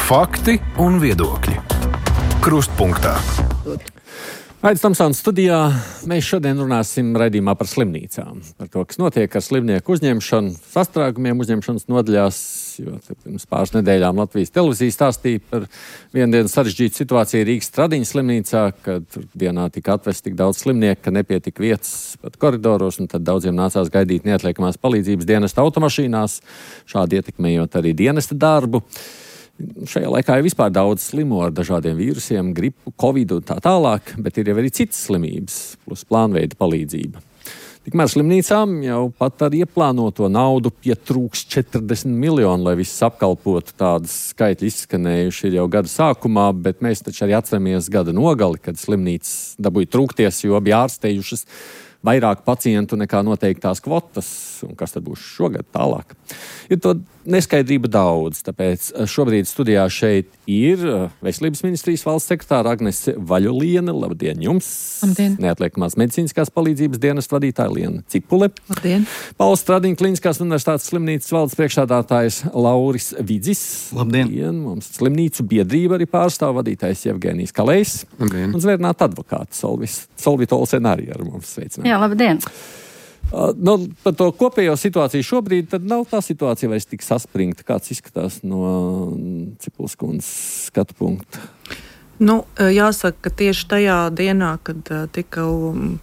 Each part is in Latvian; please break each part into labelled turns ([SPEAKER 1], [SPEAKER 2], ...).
[SPEAKER 1] Fakti un viedokļi. Krustpunktā.
[SPEAKER 2] Aidis Tomsons studijā. Mēs šodien runāsim raidījumā par slimnīcām. Par to, kas notiek ar slimnieku uzņemšanu, sastrēgumiem uzņemšanas nodaļās. Jo pirms pāris nedēļām Latvijas televīzija stāstīja par vienu dienu sarežģītu situāciju Rīgas Stradiņas slimnīcā, kad dienā tika atvest tik daudz slimnieku, ka nepietika vietas pat koridoros, un tad daudziem nācās gaidīt neatliekamās palīdzības dienesta automašīnās, šādi ietekmējot arī dienesta darbu. Šajā laikā ir vispār daudz slimo ar dažādiem vīrusiem, gripu, covid un tā tālāk, bet ir jau arī citas slimības, plus plānveida palīdzība. Tikmēr slimnīcām jau pat ar ieplānoto naudu pietrūks 40 miljoni, lai viss apkalpotu. Tādas skaitļi izskanējuši ir jau gada sākumā, bet mēs taču arī atceramies gada nogali, kad slimnīcas dabūja trūkties, jo bija ārstējušas vairāk pacientu nekā noteiktās kvotas. Un kas tad būs šogad tālāk? Ir to neskaidrība daudz, tāpēc šobrīd studijā šeit ir Veselības ministrijas valsts sekretāra Agnese Vaļuliene. Labdien jums!
[SPEAKER 3] Labdien!
[SPEAKER 2] Neatliekamās medicīniskās palīdzības dienesta vadītāja Liena Cipule.
[SPEAKER 3] Labdien!
[SPEAKER 2] Pauls Stradiņa Kliniskās universitātes slimnīcas valdes priekšsēdētājs Lauris Vidzis.
[SPEAKER 4] Labdien!
[SPEAKER 2] Mums slimnīcu biedrība arī pārstāv vadītājs Jevgenijs Kalējs.
[SPEAKER 4] Labdien!
[SPEAKER 2] Un zvērnāta advokāta Solvita Olsen arī ar mums sveicināt.
[SPEAKER 3] Jā, labdien!
[SPEAKER 2] Par to kopējo situāciju šobrīd tad nav tā situācija vairs tik saspringta, kāds izskatās no Cipules kundzes skatu punkta.
[SPEAKER 5] Jāsaka, ka tieši tajā dienā, kad tika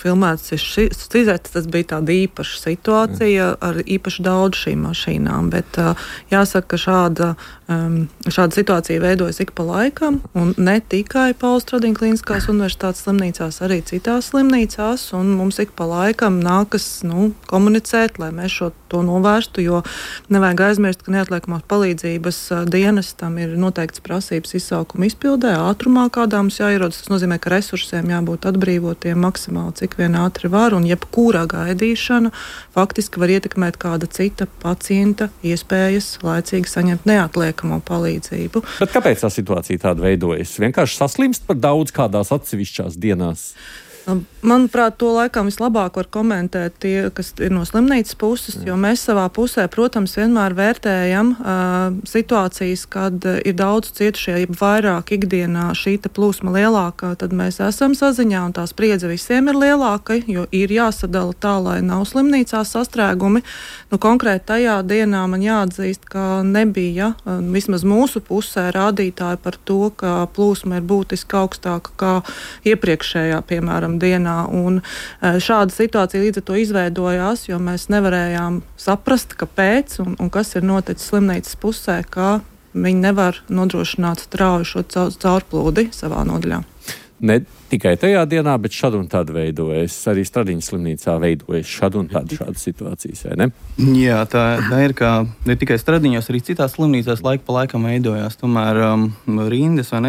[SPEAKER 5] filmēts šis izēts, tas bija tāda īpaša situācija ar īpaši daudz šīm mašīnām, bet jāsaka, ka šāda situācija veidojas ik pa laikam, un ne tikai Pauls Stradiņa Kliniskās universitātes slimnīcās, arī citās slimnīcās, un mums ik pa laikam nākas komunicēt, lai mēs to novērstu, jo nevajag aizmirst, ka neatliekamās palīdzības dienestam ir noteikts prasības izsaukuma izpildē, ātrumā, kādā mums jāierodas. Tas nozīmē, ka resursiem jābūt atbrīvotiem maksimāli, cik vien ātri var, un jebkurā gaidīšana faktiski var ietekmēt kāda cita pacienta iespējas laicīgi saņemt neatliekamo palīdzību.
[SPEAKER 2] Bet kāpēc tā situācija tāda veidojas? Vienkārši saslimst par daudz kādās atsevišķās dienās?
[SPEAKER 5] Manuprāt, to laikam vislabāk var komentēt tie, kas ir no slimnīcas puses, jo mēs savā pusē, protams, vienmēr vērtējam situācijas, kad ir daudz cietušie, ja vairāk ikdienā šī plūsma lielākā, tad mēs esam saziņā, un tā spriedze visiem ir lielāka, jo ir jāsadala tā, lai nav slimnīcās sastrēgumi. Konkrēti tajā dienā man jāatzīst, ka nebija vismaz mūsu pusē rādītāji par to, ka plūsma ir būtiski augstāka kā iepriekšējā, piemēram, dienā, un šāda situācija līdz ar to izveidojās, jo mēs nevarējām saprast, kāpēc un kas ir noticis slimnīcas pusē, ka viņi nevar nodrošināt strauju šo caurplūdi savā nodaļā.
[SPEAKER 2] Ne tikai tajā dienā, bet šad un tad veidojas. Arī Stradiņas slimnīcā veidojas šad un tad šādas situācijas, vai ne?
[SPEAKER 4] Jā, tā ir, ka ne tikai Stradiņos, arī citās slimnīcās laika pa laikam veidojās. Tomēr rindas vai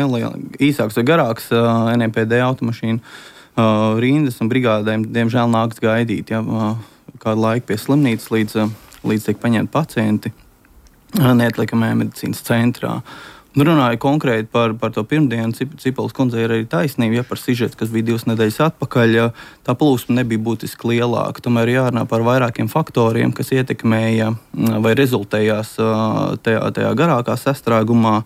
[SPEAKER 4] īsāks vai garāks NPD automašīnu rindas un brigādēm, diemžēl, nāks gaidīt kādu laiku pie slimnīcas, līdz tiek paņemti pacienti neatliekamajā medicīnas centrā. Runāju konkrēti par to pirmdienu, Cipules kundzei ir arī taisnība, par sižetu, kas bija 2 nedēļas atpakaļ, tā plūsma nebija būtiski lielāka. Tomēr jārunā par vairākiem faktoriem, kas ietekmēja vai rezultējās tajā garākā sastrēgumā.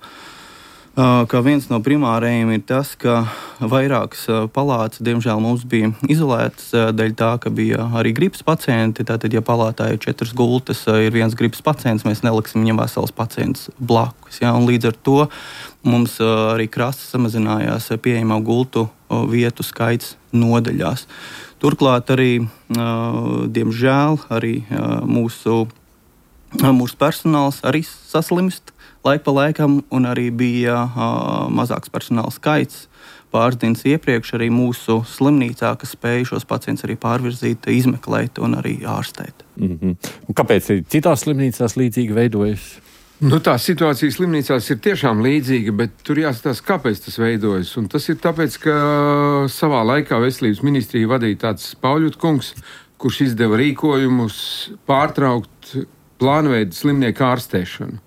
[SPEAKER 4] Ka viens no primārējiem ir tas, ka vairākas palātas, diemžēl, mums bija izolētas dēļ tā, ka bija arī gripas pacienti. Tātad, ja palātā ir 4 gultas, ir viens gripas pacients, mēs neliksim viņam veselas pacients blakus. Un līdz ar to mums arī krasi samazinājās pieejamā gultu vietu skaits nodaļās. Turklāt arī, diemžēl, arī mūsu personāls arī saslimst laika pa laikam, un arī bija mazāks personāla skaits pāris dienas iepriekš arī mūsu slimnīcā, kas spēja šos pacientus arī pārvirzīt, izmeklēt un arī ārstēt.
[SPEAKER 2] Un kāpēc citās slimnīcās līdzīgi veidojas?
[SPEAKER 6] Tā situācija slimnīcās ir tiešām līdzīga, bet tur jāskatās, kāpēc tas veidojas. Un tas ir tāpēc, ka savā laikā Veselības ministrija vadīja tāds Pauļut kungs, kurš izdeva rīkojumus pārtraukt plānveida slimnieku ārstēšanu.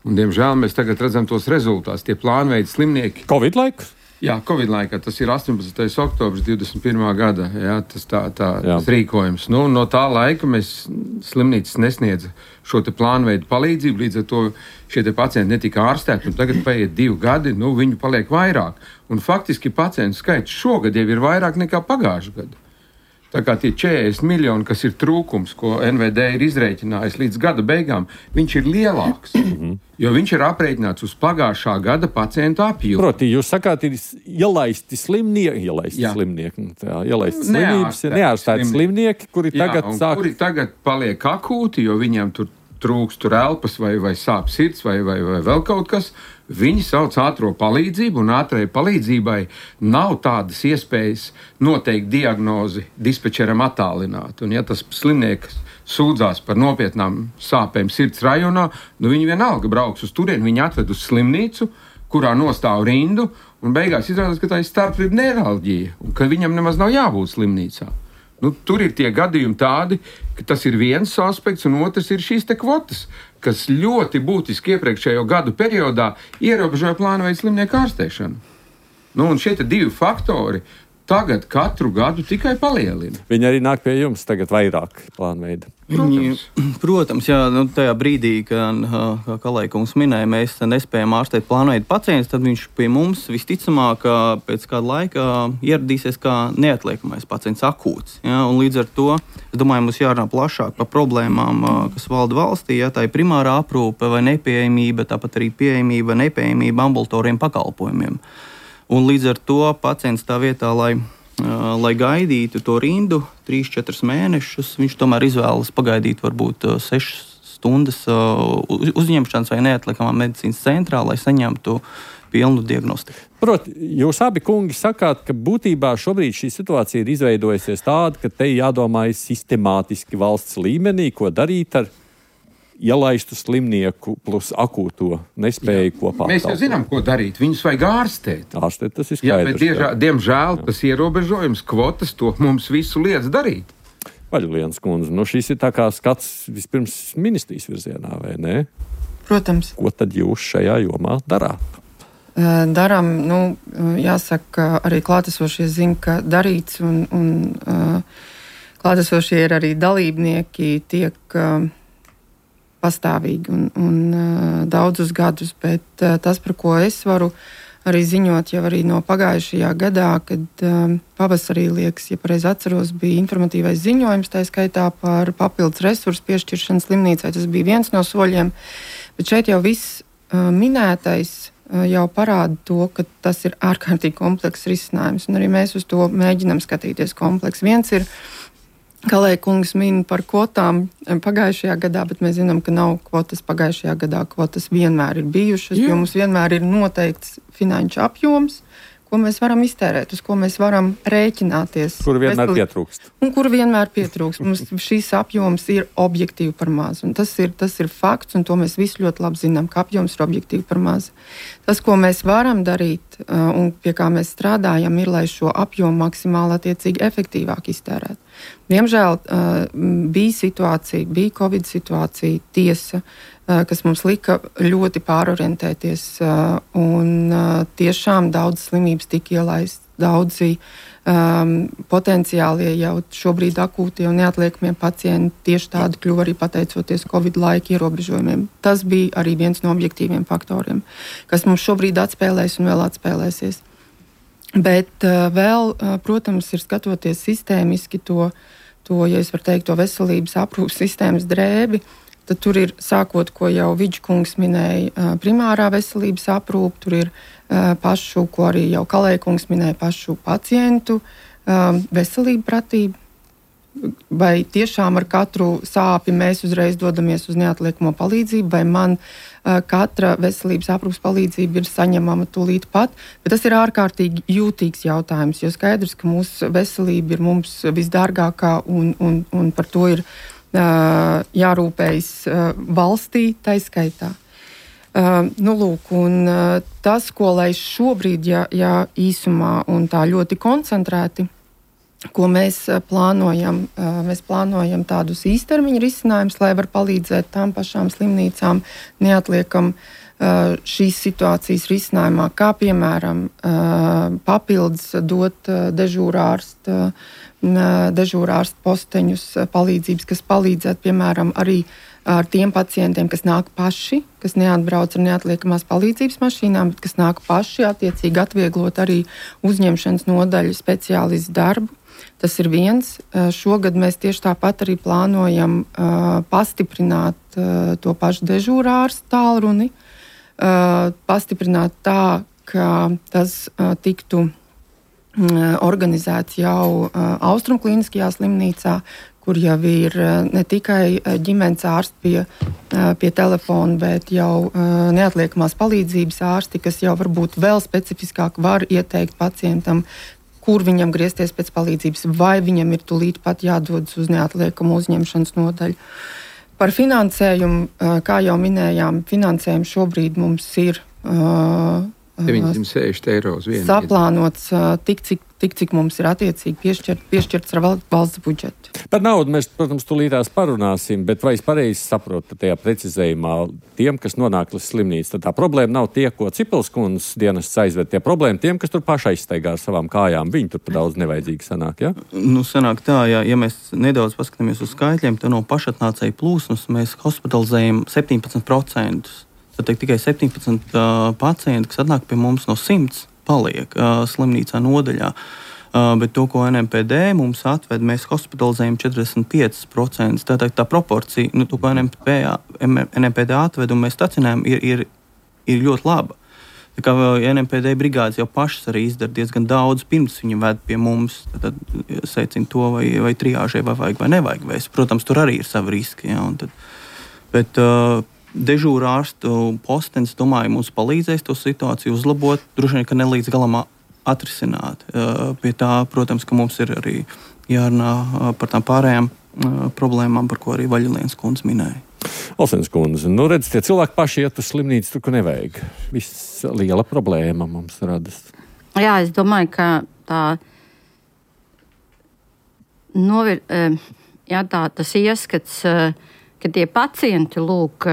[SPEAKER 6] Un, diemžēl, mēs tagad redzam tos rezultātus. Tie plānveida slimnieki...
[SPEAKER 2] Covid laiks?
[SPEAKER 6] Jā, Covid laikā tas ir 18. oktobris 21. gada, jā, tas tas rīkojums. Nu, no tā laika mēs slimnīcas nesniedza šo te plānveidu palīdzību, līdz ar to šie te pacienti netika ārstēti, un tagad paiet 2 gadi, viņu paliek vairāk. Un faktiski pacientu skaits šogad jau ir vairāk nekā pagājušajā gadā. Tā kā tie 40 miljoni, kas ir trūkums, ko NVD ir izrēķinājis līdz gada beigām, viņš ir lielāks, jo viņš ir aprēķināts uz pagājušā gada pacientu apjomu.
[SPEAKER 2] Proti, jūs sakāt, ir ielaisti slimnieki, neārstēti slimnieki, kuri
[SPEAKER 6] tagad paliek akūti, jo viņiem tur trūkst elpas vai sāp sirds vai vēl kaut kas. Viņi sauc ātro palīdzību, un ātrai palīdzībai nav tādas iespējas noteikt diagnozi dispečeram attālināt. Un ja tas slimnieks sūdzās par nopietnām sāpēm sirds rajonā, viņi vienalga brauks uz turieni, viņi atved uz slimnīcu, kurā nostāv rindu, un beigās izrādās, ka tā ir starpvīdu neiralģija, un ka viņam nemaz nav jābūt slimnīcā. Tur ir tie gadījumi tādi, ka tas ir viens aspekts, un otrs ir šīs te kvotas, kas ļoti būtiski iepriekšējo gadu periodā ierobežoja plānveidu slimnieku ārstēšanu. Un šie 2 faktori tagad katru gadu tikai palielina.
[SPEAKER 2] Viņi arī nāk pie jums tagad vairāk plānveida.
[SPEAKER 4] Protams, jā, tajā brīdī, kā Kalējkungs minēja, mēs nespējam ārstēt plānveidu pacientus, tad viņš pie mums visticamāk pēc kāda laika ieradīsies kā neatliekamais pacients akūts. Ja? Un līdz ar to, es domāju, mums jārunā plašāk par problēmām, kas valda valstī, ja tā ir primārā aprūpe vai nepieejamība, tāpat arī pieejamība, nepieejamība ambulatoriem pakalpojumiem. Un līdz ar to pacients tā vietā, lai gaidītu to rindu 3-4 mēnešus, viņš tomēr izvēlas pagaidīt varbūt 6 stundas uzņemšanas vai neatliekamā medicīnas centrā, lai saņemtu pilnu diagnostiku.
[SPEAKER 2] Proti, jūs abi kungi sakāt, ka būtībā šobrīd šī situācija ir izveidojusies tāda, ka te jādomā sistemātiski valsts līmenī, ko darīt ar ielaistu slimnieku plus akūto nespēju kopā.
[SPEAKER 6] Mēs jau zinām, ko darīt. Viņus vajag ārstēt.
[SPEAKER 2] Ārstēt, tas ir skaidrs.
[SPEAKER 6] Jā, bet diemžēl tas ierobežojums, kvotas, to mums visu liedz darīt.
[SPEAKER 2] Vaļulienas kundze, šis ir tā kā skats vispirms ministrijas virzienā, vai ne?
[SPEAKER 3] Protams.
[SPEAKER 2] Ko tad jūs šajā jomā darāt?
[SPEAKER 3] Darām, jāsaka, arī klātesošie zina, ka darīts, un klātesošie ir arī dalībnieki, tiek pastāvīgi un daudzus gadus, bet tas, par ko es varu arī ziņot jau arī no pagājušajā gadā, kad pavasarī, liekas, ja pareizi atceros, bija informatīvais ziņojums, tā skaitā par papildus resursu piešķiršanu slimnīcai. Tas bija viens no soļiem, bet šeit jau viss minētais jau parāda to, ka tas ir ārkārtīgi komplekss risinājums, un arī mēs uz to mēģinam skatīties kompleks. Viens ir, Kalējkungs min par kvotām pagājušajā gadā, bet mēs zinām, ka nav kvotas pagājušajā gadā. Kvotas vienmēr ir bijušas, jo mums vienmēr ir noteikts finanšu apjoms, ko mēs varam iztērēt, uz ko mēs varam rēķināties.
[SPEAKER 2] Kur vienmēr pietrūkst.
[SPEAKER 3] Un kur vienmēr pietrūkst. Mums šīs apjoms ir objektīvi par maz. Un tas ir fakts, un to mēs visi ļoti labi zinām, ka apjoms ir objektīvi par maz. Tas, ko mēs varam darīt un pie kā mēs strādājam, ir, lai šo apjomu maksimāli attiecīgi efektīvāk iztērētu. Diemžēl bija Covid situācija, tiesa, kas mums lika ļoti pārorientēties, un tiešām daudz slimības tika ielaistas, daudzi potenciālie jau šobrīd akūtie un neatliekamie pacienti tieši tādi kļuva arī pateicoties Covid laika ierobežojumiem. Tas bija arī viens no objektīviem faktoriem, kas mums šobrīd atspēlēs un vēl atspēlēsies. Bet vēl, protams, ir skatoties sistēmiski to, ja es varu teikt, to veselības aprūpas sistēmas drēbi, tad tur ir sākot, ko jau Vidžkungs minēja, primārā veselības aprūpe, tur ir pašu, ko arī jau Kalējkungs minēja, pašu pacientu veselība pratība. Vai tiešām ar katru sāpi mēs uzreiz dodamies uz neatliekamo palīdzību, vai man katra veselības aprūpas palīdzība ir saņemama tūlīt pat, bet tas ir ārkārtīgi jūtīgs jautājums, jo skaidrs, ka mūsu veselība ir mums visdārgākā un par to ir jārūpējas valstī taiskaitā. Tas, ko lai šobrīd, ja īsumā un tā ļoti koncentrēti, ko mēs plānojam tādus īstermiņa risinājumus, lai var palīdzēt tām pašām slimnīcām neatliekam šīs situācijas risinājumā, kā piemēram papildus dot dežūrārstu posteņus palīdzības, kas palīdzētu, piemēram, arī ar tiem pacientiem, kas nāk paši, kas neatbrauc ar neatliekamās palīdzības mašīnām, bet kas nāk paši, attiecīgi atvieglot arī uzņemšanas nodaļu speciālistu darbu. Tas ir viens. Šogad mēs tieši tāpat arī plānojam pastiprināt to pašu dežūrārstu tālruni, pastiprināt tā, ka tas tiktu organizēts jau Austrumklīniskajā slimnīcā, kur jau ir ne tikai ģimenes ārsti pie telefona, bet jau neatliekamās palīdzības ārsti, kas jau varbūt vēl specifiskāk var ieteikt pacientam, kur viņam griezties pēc palīdzības, vai viņam ir tūlīt pat jādodas uz neatliekamu uzņemšanas nodaļu. Par finansējumu, kā jau minējām, finansējumu šobrīd mums ir
[SPEAKER 6] 960 eiro uz vienu.
[SPEAKER 3] Saplānots tik, cik mums ir attiecīgi piešķirts ar valsts budžetu.
[SPEAKER 2] Par naudu mēs, protams, tūlītās parunāsim, bet vai es pareizi saprotu, ka tajā precizējumā tiem, kas nonāk līdz slimnīcu, tad tā problēma nav tie, ko Cipelskundas dienests aizved, tie problēma tiem, kas tur paši aizsteigā ar savām kājām. Viņi tur pa daudz nevajadzīgi sanāk, ja?
[SPEAKER 4] Sanāk tā, ja mēs nedaudz paskatāmies uz skaitļiem, tad no pašatnācēju plūsmas mēs hospitalizējam 17%. Tad tikai 17 pacienti, kas atnāk pie mums no 100, paliek slimnīcā nodaļā. Bet to, ko NMPD mums atved, mēs hospitalizējam 45%. Tātad tā proporcija, to, ko NMPD atved un mēs stacionējam, ir ļoti laba. Tā kā NMPD brigādes jau pašas arī izdara diezgan daudz, pirms viņi ved pie mums, tad secina to, vai triāžai vai vajag vai nevajag vēst. Protams, tur arī ir savi riski. Ja, bet dežūrārstu postenis, domāju, mums palīdzēs to situāciju uzlabot, droši vien, ka ne līdz galam atrisināt. Pie tā, protams, ka mums ir arī jārunā par tām pārējām problēmām, par ko arī Vaļulienas kundze minēja.
[SPEAKER 2] Olsenas kundze, redz, tie cilvēki paši iet uz slimnīcu, tur, kur nevajag. Viss liela problēma mums radas.
[SPEAKER 7] Jā, es domāju, ka tas ieskats, ka tie pacienti lūk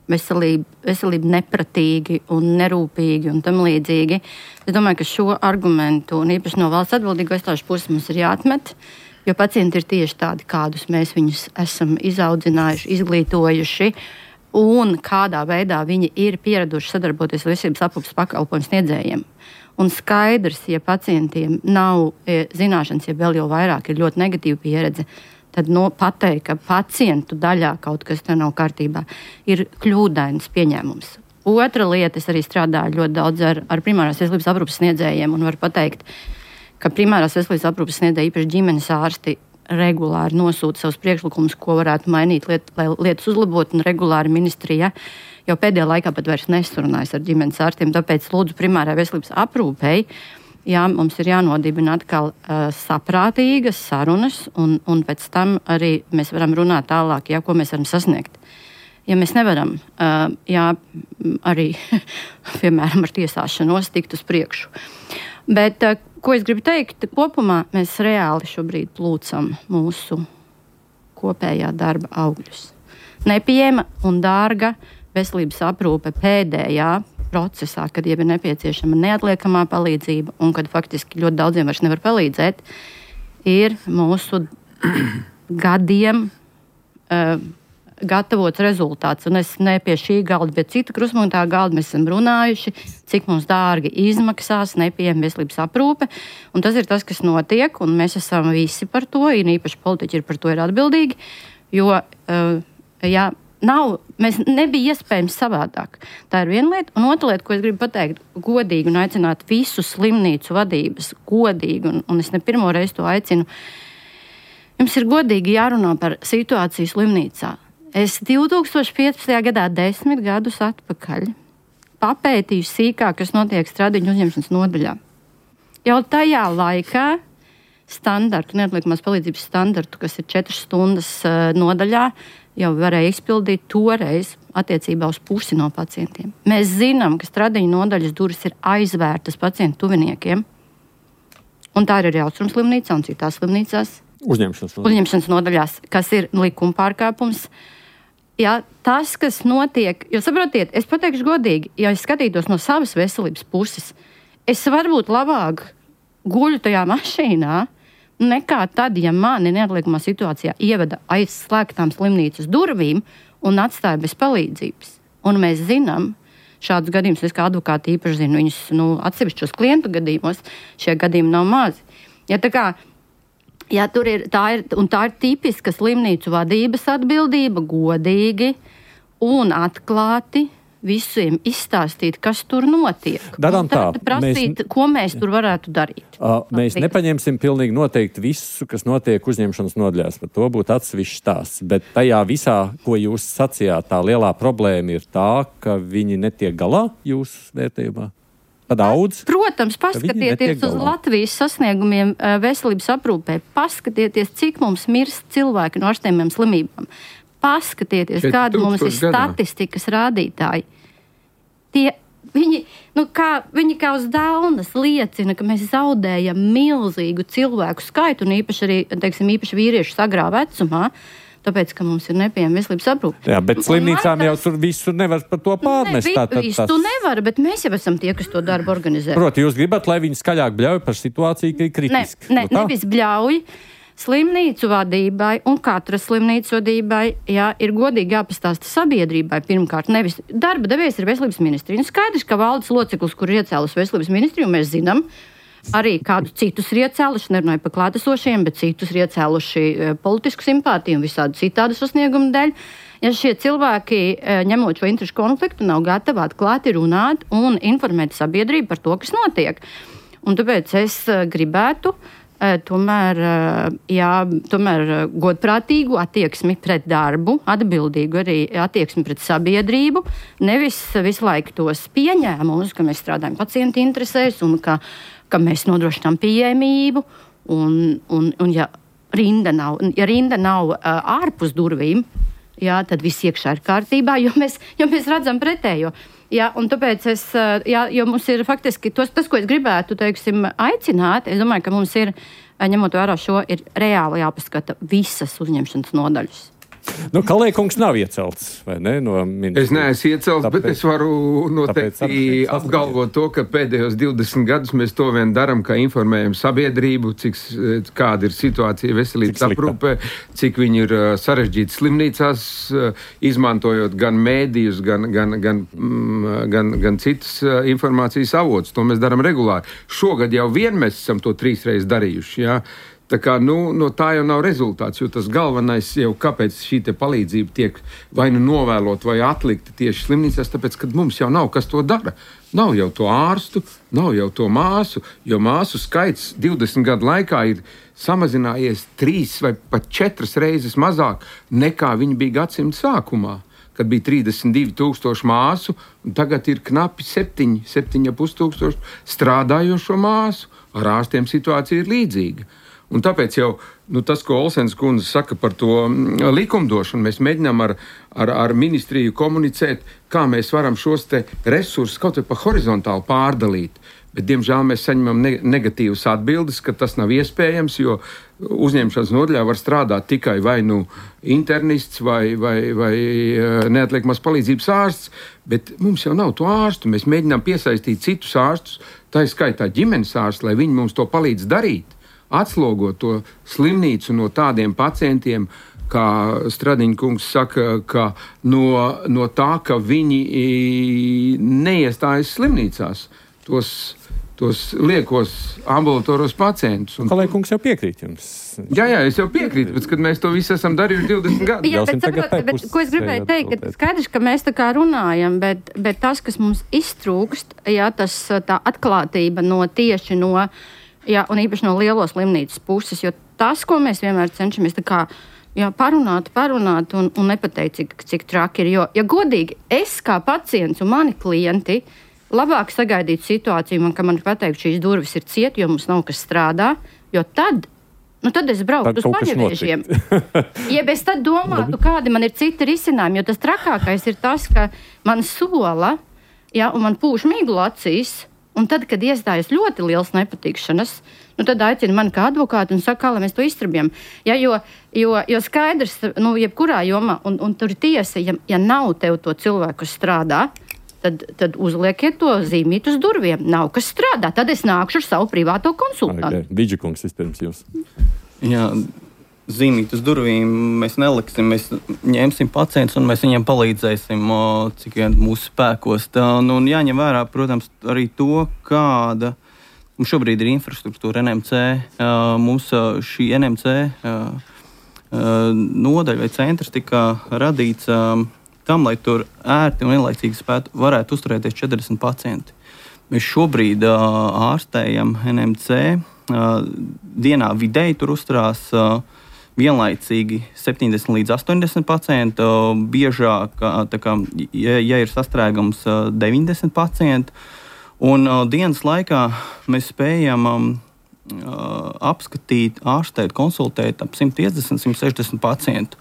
[SPEAKER 7] veselību nepratīgi un nerūpīgi un tam līdzīgi. Es domāju, ka šo argumentu, un īpaši no valsts atbildīgo iestāžu puses, mums ir jāatmet, jo pacienti ir tieši tādi, kādus mēs viņus esam izaudzinājuši, izglītojuši, un kādā veidā viņi ir pieraduši sadarboties ar veselības aprūpes pakalpojumu sniedzējiem. Un skaidrs, ja pacientiem nav zināšanas, ja vēl jau vairāk ir ļoti negatīva pieredze, tad pateikt, ka pacientu daļā kaut kas te nav kārtībā, ir kļūdains pieņēmums. Otra lieta, es arī strādāju ļoti daudz ar primārās veselības aprūpes sniedzējiem un varu pateikt, ka primārās veselības aprūpes sniedzēji, īpaši ģimenes ārsti, regulāri nosūta savus priekšlikumus, ko varētu mainīt, lai lietas uzlabot, un regulāri ministrija jau pēdējā laikā pat vairs nesurunājas ar ģimenes ārstiem, tāpēc lūdzu primārā veselības aprūpei. Jā, mums ir jānodibina atkal saprātīgas sarunas, un pēc tam arī mēs varam runāt tālāk, ko mēs varam sasniegt. Ja mēs nevaram, arī, piemēram, ar tiesāšanos tikt uz priekšu. Bet, ko es gribu teikt, kopumā mēs reāli šobrīd plūcam mūsu kopējā darba augļus. Nepieejama un dārga veselības aprūpe pēdējā procesā, kad jau ir nepieciešama neatliekamā palīdzība un kad faktiski ļoti daudziem vairs nevar palīdzēt, ir mūsu gadiem gatavots rezultāts. Un es ne pie šī galda, bet cita krustpunktā galda mēs esam runājuši, cik mums dārgi izmaksās nepieejama veselības aprūpe. Un tas ir tas, kas notiek, un mēs esam visi par to, un īpaši politiķi par to ir atbildīgi, jo, mēs nebija iespējams savādāk. Tā ir viena lieta. Un otra lieta, ko es gribu pateikt, godīgi un aicināt visu slimnīcu vadības, godīgi, un es ne pirmo reizi to aicinu, jums ir godīgi jārunā par situāciju slimnīcā. Es 2015. gadā, 10 gadus atpakaļ, papētīju sīkāk, kas notiek stradiņu uzņemšanas nodaļā. Jau tajā laikā standartu, neatliekamās palīdzības standartu, kas ir 4 stundas nodaļā, jau varēja izpildīt toreiz attiecībā uz pusi no pacientiem. Mēs zinām, ka stradiņu nodaļas durvis ir aizvērtas pacientu tuviniekiem, un tā ir arī Austrumslimnīcā un citās slimnīcās.
[SPEAKER 2] Uzņemšanas nodaļās,
[SPEAKER 7] kas ir likuma pārkāpums. Ja, tas, kas notiek, jo saprotiet, es pateikšu godīgi, ja es skatītos no savas veselības puses, es varbūt labāk guļu tajā mašīnā, nekā tad, ja mani neatliekamā situācijā ieveda aiz slēgtām slimnīcas durvīm un atstāja bez palīdzības. Un mēs zinām, šādus gadījumus es kā advokāti īpaši zinu, viņus atsevišķos klientu gadījumos šie gadījumi nav mazi. Ja, tā kā, ja tā ir tipiska slimnīcu vadības atbildība, godīgi un atklāti visiem izstāstīt, kas tur notiek.
[SPEAKER 2] Darām tā.
[SPEAKER 7] Prasīt, ko mēs tur varētu darīt.
[SPEAKER 2] Mēs nepaņemsim pilnīgi noteikti visu, kas notiek uzņemšanas nodaļās. Par to būtu atsevišķs stāsts. Bet tajā visā, ko jūs sacījāt, tā lielā problēma ir tā, ka viņi netiek galā jūsu vērtējumā. Daudz.
[SPEAKER 7] Protams, paskatieties uz Latvijas sasniegumiem veselības aprūpē. Paskatieties, cik mums mirst cilvēki no ārstējumiem slimībām. Paskatieties, kāda mums ir statistikas rādītāji. Viņi kā uz daunas liecina, ka mēs zaudējam milzīgu cilvēku skaitu, un īpaši arī, īpaši vīriešu agrā vecumā, tāpēc, ka mums ir nepieejama veselības aprūpe.
[SPEAKER 2] Jā, bet slimnīcām jau tur visu nevar par to pārmest.
[SPEAKER 7] Visu nevar, bet mēs jau esam tie, kas to darbu organizē.
[SPEAKER 2] Proti, jūs gribat, lai viņi skaļāk bļauj par situāciju, ka ir kritiski?
[SPEAKER 7] Nevis bļauj. Slimnīcu vadībai un katras slimnīcu vadībai ir godīgi jāpastāsta sabiedrībai pirmkārt. Nevis darba devējs ir veselības ministrija. Skaidrs, ka valdes loceklis, kur ir iecēlus veselības ministriju, mēs zinām, arī kādu citus ir iecēluši, nerunāju par klātesošiem, bet citus ir iecēluši politisku simpātiju un visādu citādu sasniegumu dēļ. Ja šie cilvēki, ņemot šo interešu konfliktu, nav gatavi atklāti runāt un informēt sabiedrību par to, kas notiek. Un tāpēc es gribētu tomēr godprātīgu attieksmi pret darbu, atbildīgu arī attieksmi pret sabiedrību, nevis visu laiku tos pieņēmumus, ka mēs strādājam pacientu interesēs un ka mēs nodrošinām pieejamību, un ja rinda nav ārpus durvīm, tad viss iekšā ir kārtībā, jo mēs redzam pretējo. Un tāpēc jo mums ir faktiski tas, ko es gribētu, aicināt, es domāju, ka mums ir, ņemot vērā šo, ir reāli jāpaskata visas uzņemšanas nodaļas.
[SPEAKER 2] Kalējkungs nav iecelts, vai ne? No
[SPEAKER 6] es neesmu iecelts, bet es varu noteikti apgalvot to, ka pēdējos 20 gadus mēs to vien daram, ka informējam sabiedrību, kāda ir situācija veselības aprūpē, cik viņi ir sarežģīti slimnīcās, izmantojot gan mēdījus, gan citas informācijas avotus. To mēs daram regulāri. Šogad jau vien mēs esam to 3 reizes darījuši, jā. Tā kā, no tā jau nav rezultāts, jo tas galvenais jau, kāpēc šī te palīdzība tiek vai novēlot vai atlikta tieši slimnīcās, tāpēc, ka mums jau nav kas to dara. Nav jau to ārstu, nav jau to māsu, jo māsu skaits 20 gadu laikā ir samazinājies 3 vai pat 4 reizes mazāk nekā viņi bija gadsimta sākumā, kad bija 32,000 māsu, un tagad ir knapi 7,5 tūkstoši strādājošo māsu. Ar ārstiem situācija ir līdzīga. Un tāpēc jau tas, ko Olsens kundze saka par to likumdošanu, mēs mēģinām ar ministriju komunicēt, kā mēs varam šos te resursus kaut vai pa horizontāli pārdalīt. Bet, diemžēl, mēs saņemam negatīvas atbildes, ka tas nav iespējams, jo uzņemšanas nodaļā var strādāt tikai vai internists vai neatliekamās palīdzības ārsts, bet mums jau nav to ārstu. Mēs mēģinām piesaistīt citus ārstus, tā ir skaitā ģimenes ārstu, lai viņi mums to palīdz darīt. Atslogot to slimnīcu no tādiem pacientiem, kā Stradiņa kungs saka, ka no tā, ka viņi neiestājas slimnīcās, tos liekos ambulatoros pacientus.
[SPEAKER 2] Kalējkungs jau piekrīt jums.
[SPEAKER 6] Jā, es jau piekrītu, bet kad mēs to visu esam darījuši 20 gadus.
[SPEAKER 7] Jā, bet ko es gribēju teikt, ka skaidrs, ka mēs tā kā runājam, bet tas, kas mums iztrūkst, tā atklātība tieši no un īpaši no lielo slimnīcas puses, jo tas, ko mēs vienmēr cenšamies parunāt un nepateikt, cik traki ir. Jo, ja godīgi, es kā pacients un mani klienti labāk sagaidītu situāciju, ka man pateikt, šīs durvis ir ciet, jo mums nav kas strādā, jo tad es braucu uz paņeviežiem. Ja es tad domātu, kādi man ir citi risinājumi, jo tas trakākais ir tas, ka man sola, un man pūš miglu acīs, Un tad, kad iestājas ļoti liels nepatikšanas, tad aicina mani kā advokātu un saka, kā lai mēs to izstrabjam. Ja, jo skaidrs, jebkurā jomā, un tur ir tiesa, ja nav tev to cilvēku, kas strādā, tad uzliekiet to zīmīt uz durviem. Nav kas strādā, tad es nākšu ar savu privāto konsultantu.
[SPEAKER 2] Vidžikungs vispirms jūs.
[SPEAKER 4] Jā, zīmīt uz durvīm mēs neliksim, mēs ņemsim pacientus un mēs viņiem palīdzēsim, cik vien mūsu spēkos. Un jāņem vērā, protams, arī to, kāda mums šobrīd ir infrastruktūra NMC. Mums šī NMC nodaļa vai centrs tika radīts tam, lai tur ērti un vienlaicīgi varētu uzturēties 40 pacienti. Mēs šobrīd ārstējam NMC. Dienā vidēji tur uzturās vienlaicīgi 70 līdz 80 pacientu, biežāk, ja ir sastrēgums 90 pacientu. Un dienas laikā mēs spējam apskatīt, ārstēt, konsultēt ap 150-160 pacientu.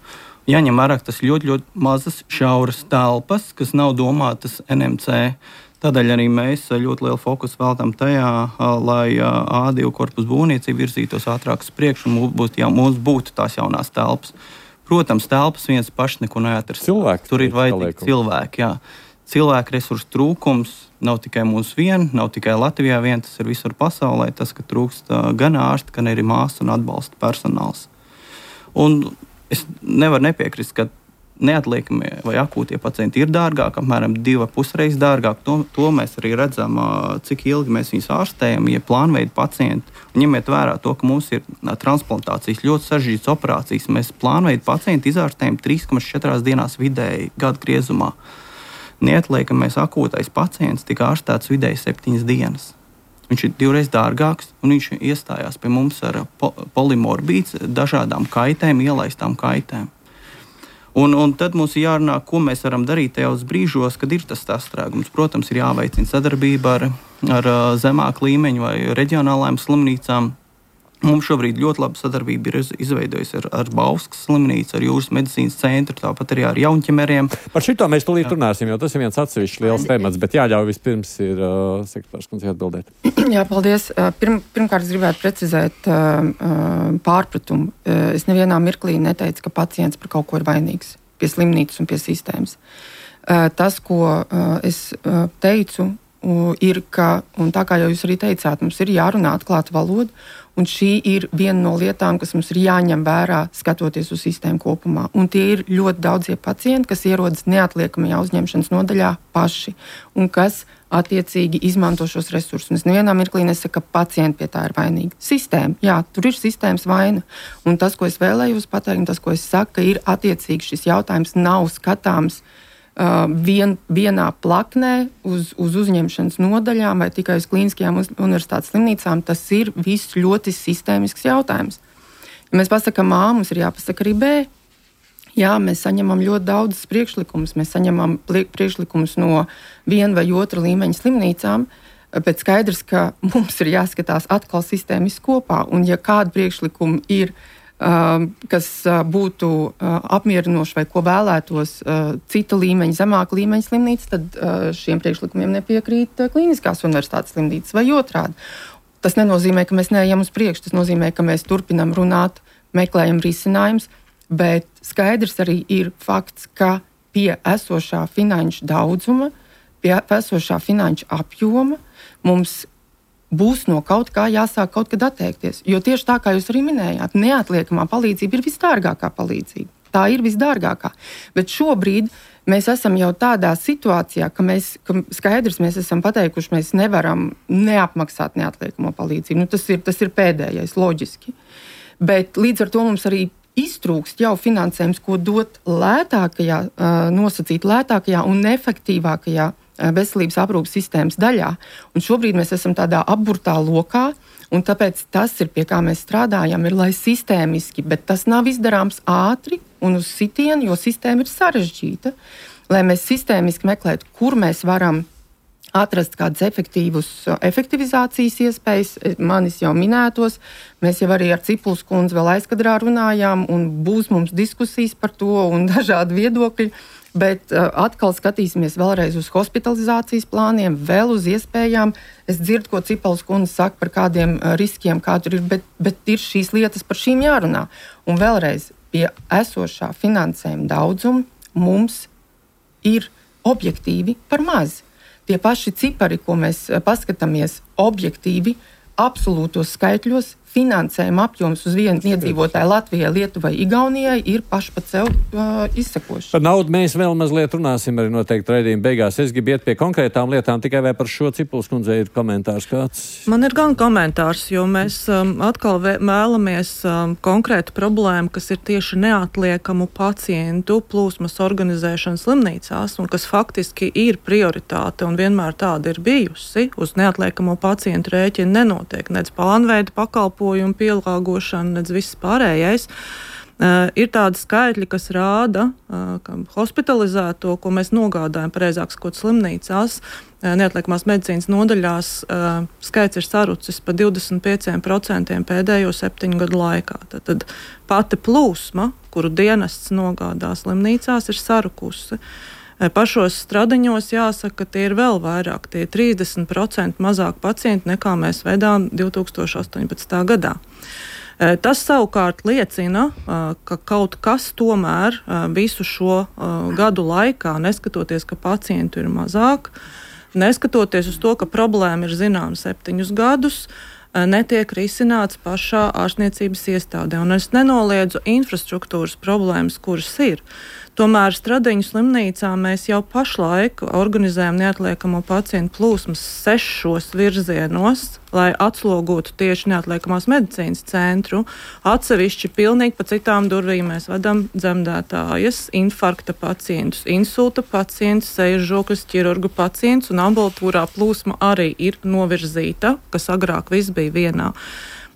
[SPEAKER 4] Jāņem vērā, ka tas ļoti, ļoti mazas šauras telpas, kas nav domātas NMC. Tādēļ arī mēs ļoti lielu fokusu veltam tajā, lai A2 korpusu būvniecība virzītos ātrāk uz priekšu un mums būtu tās jaunās telpas. Protams, telpas viens pašs neko neatrast. Tur ir vajadzīgi cilvēki. Jā. Cilvēku resursu trūkums nav tikai mūsu vien, nav tikai Latvijā vien, tas ir visur pasaulē. Tas, ka trūkst gan ārsti, gan arī māsu un atbalsta personāls. Un es nevaru nepiekrist, ka neatliekamie vai akūtie pacienti ir dārgāk, apmēram 2,5 reizes dārgāk. To mēs arī redzam, cik ilgi mēs viņus ārstējam, ja plānveida pacienti. Un ņemiet vērā to, ka mums ir transplantācijas ļoti sarežģītas operācijas. Mēs plānveida pacienti izārstējam 3,4 dienās vidēji gada griezumā. Neatliekamais akūtais pacients tika ārstēts vidēji 7 dienas. Viņš ir 2 reizes dārgāks, un viņš iestājās pie mums ar polimorbīds, dažādām kaitēm, ielaistām kaitēm. Un tad mums ir jārunā, ko mēs varam darīt tajos brīžos, kad ir tas sastrēgums. Protams, ir jāveicina sadarbība ar zemāku līmeņu vai reģionālajām slimnīcām. Mums šobrīd ļoti laba sadarbība ir izveidojusi ar Bauskas slimnīcu, ar Jūras medicīnas centru, tāpat arī ar jaunķemeriem.
[SPEAKER 2] Par šito mēs tūlīt runāsim, jo tas ir viens atsevišķs liels temats, bet jāļauj vispirms ir sekretārs kundze atbildēt.
[SPEAKER 3] Jā, paldies. Pirmkārt, es gribētu precizēt pārpratumu. Es nevienā mirklī neteicu, ka pacients par kaut ko ir vainīgs pie slimnīcas un pie sistēmas. Tas, ko es teicu, ir, ka, un tā kā jau jūs arī teicāt, mums ir jārunā atklāta valoda, un šī ir viena no lietām, kas mums ir jāņem vērā, skatoties uz sistēmu kopumā. Un tie ir ļoti daudzie pacienti, kas ierodas neatliekamajā uzņemšanas nodaļā paši, un kas attiecīgi izmanto šos resursus. Un es nevienā mirklī nesaku, ka pacienti pie tā ir vainīgi. Sistēma, jā, tur ir sistēmas vaina. Un tas, ko es vēlējos pateikt, un tas, ko es saku, ka ir attiecīgi šis jautājums nav skatāms vienā plaknē uz uzņemšanas nodaļām vai tikai uz klīniskajām universitātes slimnīcām. Tas ir viss ļoti sistēmisks jautājums. Ja mēs pasakām A, mums ir jāpasaka arī B. Jā, mēs saņemam ļoti daudzus priekšlikumus. Mēs saņemam priekšlikumus no viena vai otra līmeņa slimnīcām, bet skaidrs, ka mums ir jāskatās atkal sistēmiski kopā. Un ja kādi priekšlikumi ir kas būtu apmierinoši vai ko vēlētos cita līmeņa, zemāka līmeņa slimnīca, tad šiem priekšlikumiem nepiekrīt klīniskās universitātes slimnīcas vai otrādi. Tas nenozīmē, ka mēs neejam uz priekšu, tas nozīmē, ka mēs turpinam runāt, meklējam risinājumus, bet skaidrs arī ir fakts, ka pie esošā finanšu daudzuma, pie esošā finanšu apjoma mums būs no kaut kā jāsāk kaut kad atteikties. Jo tieši tā, kā jūs arī minējāt, neatliekamā palīdzība ir visdārgākā palīdzība. Tā ir visdārgākā. Bet šobrīd mēs esam jau tādā situācijā, ka mēs esam pateikuši, mēs nevaram neapmaksāt neatliekamo palīdzību. Tas ir pēdējais, loģiski. Bet līdz ar to mums arī iztrūkst jau finansējums, ko dot lētākajā, nosacīt lētākajā un efektīvākajā veselības aprūpes sistēmas daļā. Un šobrīd mēs esam tādā apburtā lokā, un tāpēc tas ir, pie kā mēs strādājam, ir lai sistēmiski, bet tas nav izdarāms ātri un uz sitienu, jo sistēma ir sarežģīta, lai mēs sistēmiski meklētu, kur mēs varam atrast kādus efektivizācijas iespējas, manis jau minētos. Mēs jau arī ar Cipuls kundzi vēl aizkadrā runājām, un būs mums diskusijas par to un dažādi viedokļi. Bet atkal skatīsimies vēlreiz uz hospitalizācijas plāniem, vēl uz iespējām. Es dzirdu, ko Cipuls kundze saka par kādiem riskiem, kā tur ir, bet ir šīs lietas par šīm jārunā. Un vēlreiz pie esošā finansējuma daudzuma mums ir objektīvi par maz. Tie paši cipari, ko mēs paskatāmies objektīvi, absolūtos skaitļos, finansējuma apjoms uz vienu iedzīvotāju Latvijai, Lietuvai, Igaunijai ir paši pat sev izsakoši.
[SPEAKER 2] Par naudu mēs vēl mazliet runāsim arī noteikti raidījuma beigās. Es gribu iet pie konkrētām lietām, tikai vai par šo Cipuls kundzei ir komentārs kāds?
[SPEAKER 5] Man ir gan komentārs, jo mēs atkal vēlamies konkrētu problēmu, kas ir tieši neatliekamu pacientu plūsmas organizēšana slimnīcās un kas faktiski ir prioritāte un vienmēr tāda ir bijusi. Uz neatliekamo pacientu rēķina nenotiek nec plānveida pakalpojumu pielāgošana, nedz viss pārējais. Ir tādi skaitļi, kas rāda, ka hospitalizēto, ko mēs nogādājam, pareizāk sakot, slimnīcās, neatliekamās medicīnas nodaļās, skaits ir sarucis pa 25% pēdējo 7 gadu laikā. Tad pati plūsma, kuru dienests nogādā slimnīcās, ir sarukusi. Pašos Stradiņos jāsaka, ka tie ir vēl vairāk, tie ir 30% mazāk pacienti nekā mēs vedām 2018. gadā. Tas savukārt liecina, ka kaut kas tomēr visu šo gadu laikā, neskatoties, ka pacientu ir mazāk, neskatoties uz to, ka problēma ir zināma 7 gadus, netiek risināts pašā ārstniecības iestādē. Un es nenoliedzu infrastruktūras problēmas, kuras ir. Tomēr Stradiņu slimnīcā mēs jau pašlaik organizējam neatliekamo pacientu plūsmas 6 virzienos, lai atslogotu tieši neatliekamās medicīnas centru. Atsevišķi pilnīgi pa citām durvīm mēs vedam dzemdētājas, infarkta pacientus, insulta pacientus, sejas žokļas ķirurgu pacientus, un ambulatūrā plūsma arī ir novirzīta, kas agrāk viss bija vienā.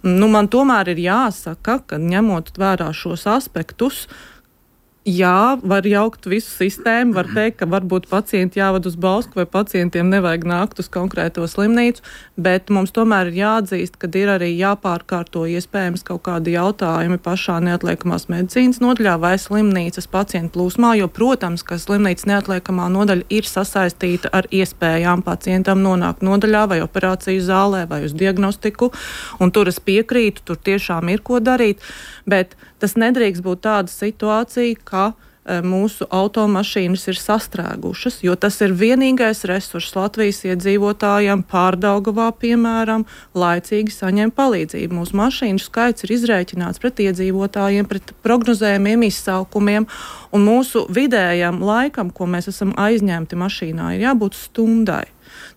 [SPEAKER 5] Man tomēr ir jāsaka, ka ņemot vērā šos aspektus, jā, var jaukt visu sistēmu, var teikt, ka varbūt pacienti jāved uz Bausku vai pacientiem nevajag nākt uz konkrēto slimnīcu, bet mums tomēr ir jāatzīst, ka ir arī jāpārkārto iespējams kaut kādi jautājumi pašā neatliekamās medicīnas nodaļā vai slimnīcas pacientu plūsmā, jo, protams, ka slimnīcas neatliekamā nodaļa ir sasaistīta ar iespējām pacientam nonākt nodaļā vai operāciju zālē vai uz diagnostiku, un tur es piekrītu, tur tiešām ir ko darīt, bet tas nedrīkst būt tāda situācija, ka mūsu automašīnas ir sastrēgušas, jo tas ir vienīgais resurss Latvijas iedzīvotājiem Pārdaugavā, piemēram, laicīgi saņem palīdzību. Mūsu mašīnu skaits ir izrēķināts pret iedzīvotājiem, pret prognozējumiem izsaukumiem, un mūsu vidējam laikam, ko mēs esam aizņemti mašīnā, ir jābūt stundai.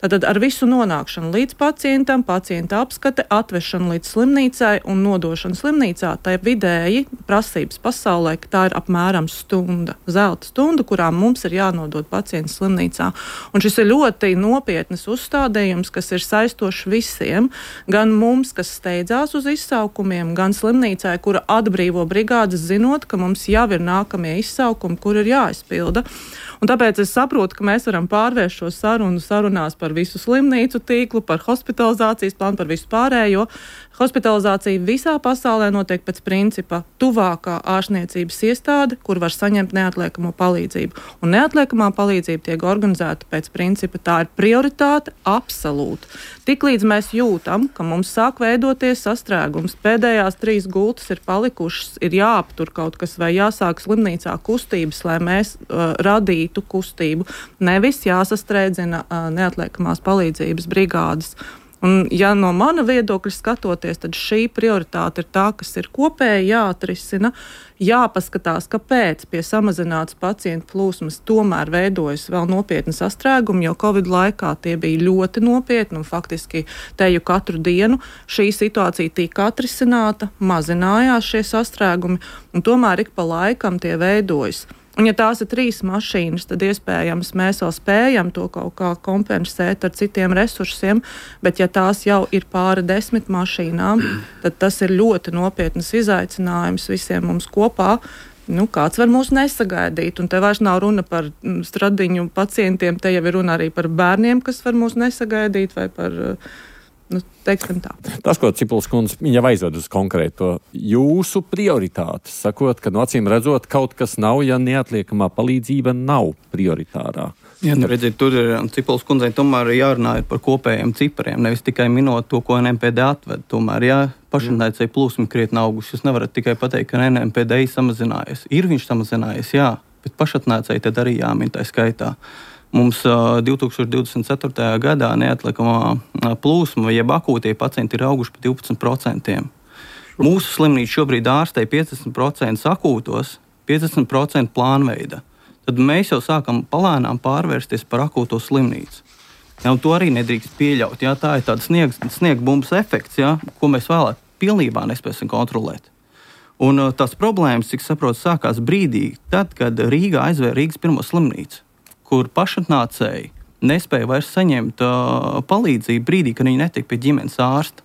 [SPEAKER 5] Tātad ar visu nonākšanu līdz pacientam, pacienta apskate, atvešanu līdz slimnīcai un nodošanu slimnīcā, tā ir vidēji prasības pasaulē, ka tā ir apmēram stunda, zelta stunda, kurā mums ir jānodod pacients slimnīcā. Un šis ir ļoti nopietnas uzstādījums, kas ir saistošs visiem, gan mums, kas steidzās uz izsaukumiem, gan slimnīcai, kura atbrīvo brigādes, zinot, ka mums jau ir nākamie izsaukumi, kur ir jāizpilda. Un tāpēc es saprotu, ka mēs varam pārvērst šo sarunās par visu slimnīcu tīklu, par hospitalizācijas plānu, par visu pārējo. Hospitalizācija visā pasaulē notiek pēc principa tuvākā ārstniecības iestāde, kur var saņemt neatliekamo palīdzību. Un neatliekamā palīdzība tiek organizēta pēc principa, tā ir prioritāte absolūti. Tiklīdz mēs jūtam, ka mums sāk veidoties sastrēgums, pēdējās 3 gultas ir palikušas, ir jāaptur kaut kas vai jāsāk slimnīcā kustības, lai mēs radītu kustību. Nevis jāsastrēdzina neatliekamās palīdzības brigādes. Un, ja no mana viedokļa skatoties, tad šī prioritāte ir tā, kas ir kopēji jāatrisina, jāpaskatās, kāpēc pie samazinātas pacientu plūsmas tomēr veidojas vēl nopietni sastrēgumi, jo Covid laikā tie bija ļoti nopietni un faktiski teju katru dienu šī situācija tika atrisināta, mazinājās šie sastrēgumi un tomēr ik pa laikam tie veidojas. Un, ja tās ir 3 mašīnas, tad iespējams mēs vēl spējam to kaut kā kompensēt ar citiem resursiem, bet ja tās jau ir pāri 10 mašīnām, tad tas ir ļoti nopietnas izaicinājums visiem mums kopā. kāds var mūs nesagaidīt. Un te vairs nav runa par stradiņu pacientiem, te jau ir runa arī par bērniem, kas var mūs nesagaidīt, vai par, teiksim tā.
[SPEAKER 2] Tas, ko Cipuls kundze jau aizved uz konkrēto jūsu prioritātes, sakot, ka acīm redzot kaut kas nav, ja neatliekamā palīdzība nav prioritārā.
[SPEAKER 4] Jā, redziet, tur ir Cipuls kundzei tomēr jārunā par kopējiem cipariem, nevis tikai minot to, ko NMPD atved. Tomēr, pašreizēji plūsmi krietni auguši. Jūs nevarat tikai pateikt, ka NMPD samazinājies. Ir viņš samazinājies, jā, bet pašatnēcēji tad arī jāmin tā skaitā. Mums 2024. gadā neatliekamā plūsma, jeb akūtie pacienti ir auguši par 12%. Mūsu slimnīca šobrīd ārstē 50% akūtos, 50% plānveida. Tad mēs jau sākam palēnām pārvērsties par akūto slimnīcu. Ja, un to arī nedrīkst pieļaut. Ja, tā ir tāda sniegbumbas efekts, ja, ko mēs vēlāk pilnībā nespēsim kontrolēt. Un tās problēmas, cik saprotu, sākās brīdī, tad, kad Rīgā aizvēra Rīgas pirmo slimnīcu, kur pašatnācēji nespēja vairs saņemt palīdzību brīdī, kad viņi netika pie ģimenes ārsta.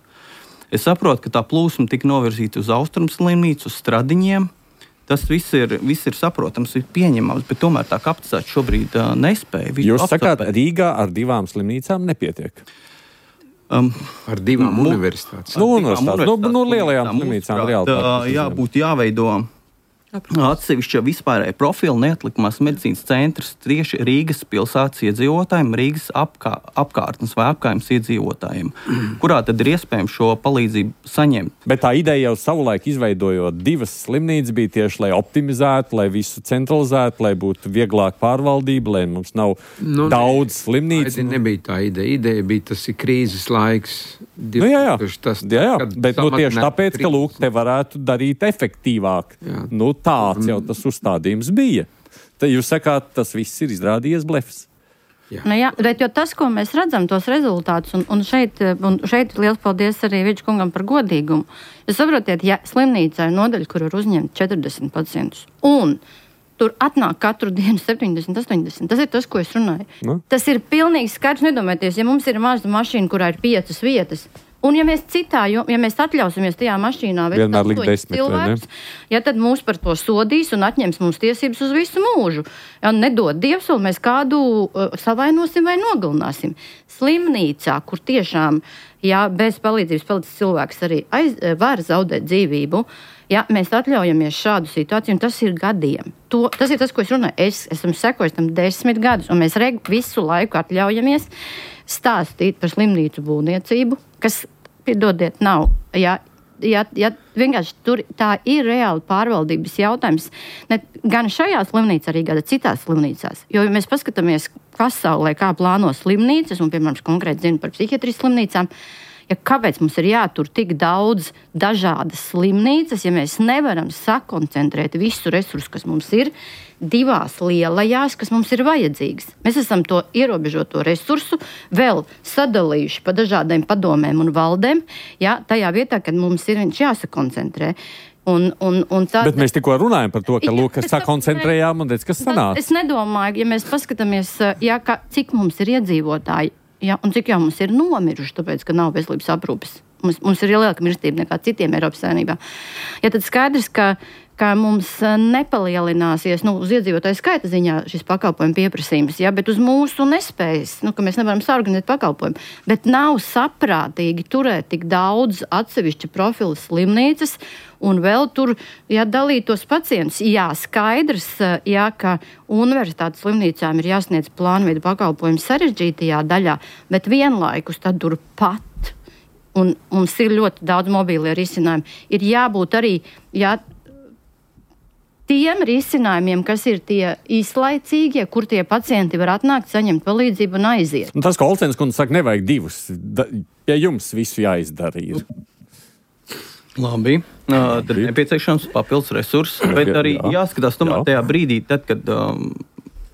[SPEAKER 4] Es saprotu, ka tā plūsma tika novirzīta uz Austrumu slimnīcu, uz Stradiņiem. Tas viss ir saprotams, ir pieņemams, bet tomēr tā kapacitāte šobrīd nespēja.
[SPEAKER 2] Jūs sakāt, Rīgā ar 2 slimnīcām nepietiek?
[SPEAKER 6] Ar 2 universitātes.
[SPEAKER 2] Lielajām slimnīcām reāli.
[SPEAKER 4] Būtu jāveido atsevišķa vispārēja profila neatlikamās medicīnas centrs tieši Rīgas pilsētas iedzīvotājiem, Rīgas apkārtnes vai apkaimes iedzīvotājiem, kurā tad ir iespējams šo palīdzību saņemt.
[SPEAKER 2] Bet tā ideja jau savulaik izveidojot 2 slimnīcas bija tieši, lai optimizētu, lai visu centralizētu, lai būtu vieglāk pārvaldība, lai mums nav daudz slimnīcu.
[SPEAKER 6] Tā nebija tā ideja. Ideja bija, tas ir krīzes laiks.
[SPEAKER 2] Jā. Bet tieši tāpēc, ka te varētu darīt efektīvāk. Tāds jau tas uzstādījums bija. Tad jūs sakāt, tas viss ir izrādījies blefs.
[SPEAKER 7] Jā, bet tas, ko mēs redzam, tos rezultātus, un šeit liels paldies arī Vidža kungam par godīgumu. Jūs saprotiet, ja slimnīcā ir nodaļa, kur var uzņemt 40 pacientus, un tur atnāk katru dienu 70, 80. Tas ir tas, ko es runāju. Tas ir pilnīgi skaidrs. Nedomājieties, ja mums ir maza mašīna, kurā ir 5 vietas, un ja mēs mēs atļausimies tajā mašīnā veikt 8 cilvēkus, tad mūs par to sodīs un atņems mums tiesības uz visu mūžu. Ja nedod Dievs, un mēs kādu savainosim vai nogalināsim. Slimnīcā, kur tiešām, bez palīdzības palicis cilvēks arī var zaudēt dzīvību, mēs atļaujamies šādu situāciju, un tas ir gadiem. Tas ir tas, ko es runāju. Es esmu sekojis tam 10 gadus, un mēs visu laiku atļaujamies stāstīt par slimnīcu būvniecību, kas, piedodiet, nav. Vienkārši tur tā ir reāli pārvaldības jautājums. Ne gan šajā slimnīcā, arī gan citās slimnīcās. Jo, ja mēs paskatāmies pasaulē, kā plāno slimnīcas, un, piemēram, konkrēti zinu par psihiatrijas slimnīcām, kāpēc mums ir jātur tik daudz dažādas slimnīcas, ja mēs nevaram sakoncentrēt visu resursu, kas mums ir, 2 lielajās, kas mums ir vajadzīgas. Mēs esam to ierobežoto resursu vēl sadalījuši pa dažādiem padomēm un valdēm, tajā vietā, kad mums ir viņš jāsakoncentrē. Bet mēs tikko runājam par to, ka sakoncentrējām un redz, kas sanāca. Es nedomāju, ja mēs paskatāmies, cik mums ir iedzīvotāji, un cik jau mums ir nomiruši, tāpēc, ka nav veselības aprūpes. Mums ir lielāka mirstība nekā citiem Eiropas Savienībā. Tad skaidrs, ka mums nepalielināsies uz iedzīvotāju skaita ziņā šis pakalpojumu pieprasījums, bet uz mūsu nespējas, ka mēs nevaram saorganizēt pakalpojumu. Bet nav saprātīgi turēt tik daudz atsevišķa profila slimnīcas un vēl tur dalīt tos pacientus. Skaidrs, ka universitātes slimnīcām ir jāsniedz plānveida pakalpojumu sarežģītajā daļā, bet vienlaikus tad tur pat. Un mums ir ļoti daudz mobīlie risinājumi. Ir jābūt arī tiem risinājumiem, kas ir tie īslaicīgie, kur tie pacienti var atnākt, saņemt palīdzību un aiziet.
[SPEAKER 2] Un tas, ko Olcenes kundze saka, nevajag 2. Pie jums visu jāizdara ir.
[SPEAKER 4] Labi. Tad nepieciešams papildus resurss, bet arī jāskatās tomēr tajā brīdī, tad, kad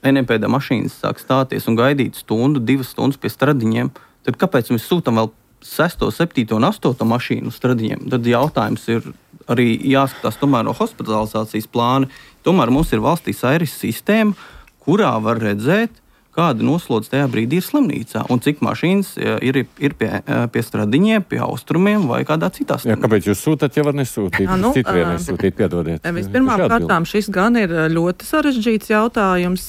[SPEAKER 4] NMPD mašīnas sāk stāties un gaidīt 1-2 stundas pie Stradiņiem, tad kāpēc mēs sūtam vēl 6, 7 un 8 mašīnu Stradiņiem? Tad jautājums ir arī jāskatās tomēr no hospitalizācijas plāna. Tomēr mums ir valstī Airis sistēma, kurā var redzēt, kāda noslodze tajā brīdī ir slimnīcā un cik mašīnas ir pie stradiņiem, pie austrumiem vai kādā citā slimnīcā.
[SPEAKER 2] Kāpēc jūs sūtat, ja var nesūtīt? Citvienai sūtīt, piedodiet.
[SPEAKER 5] Vispirmām kārtām šis gan ir ļoti sarežģīts jautājums,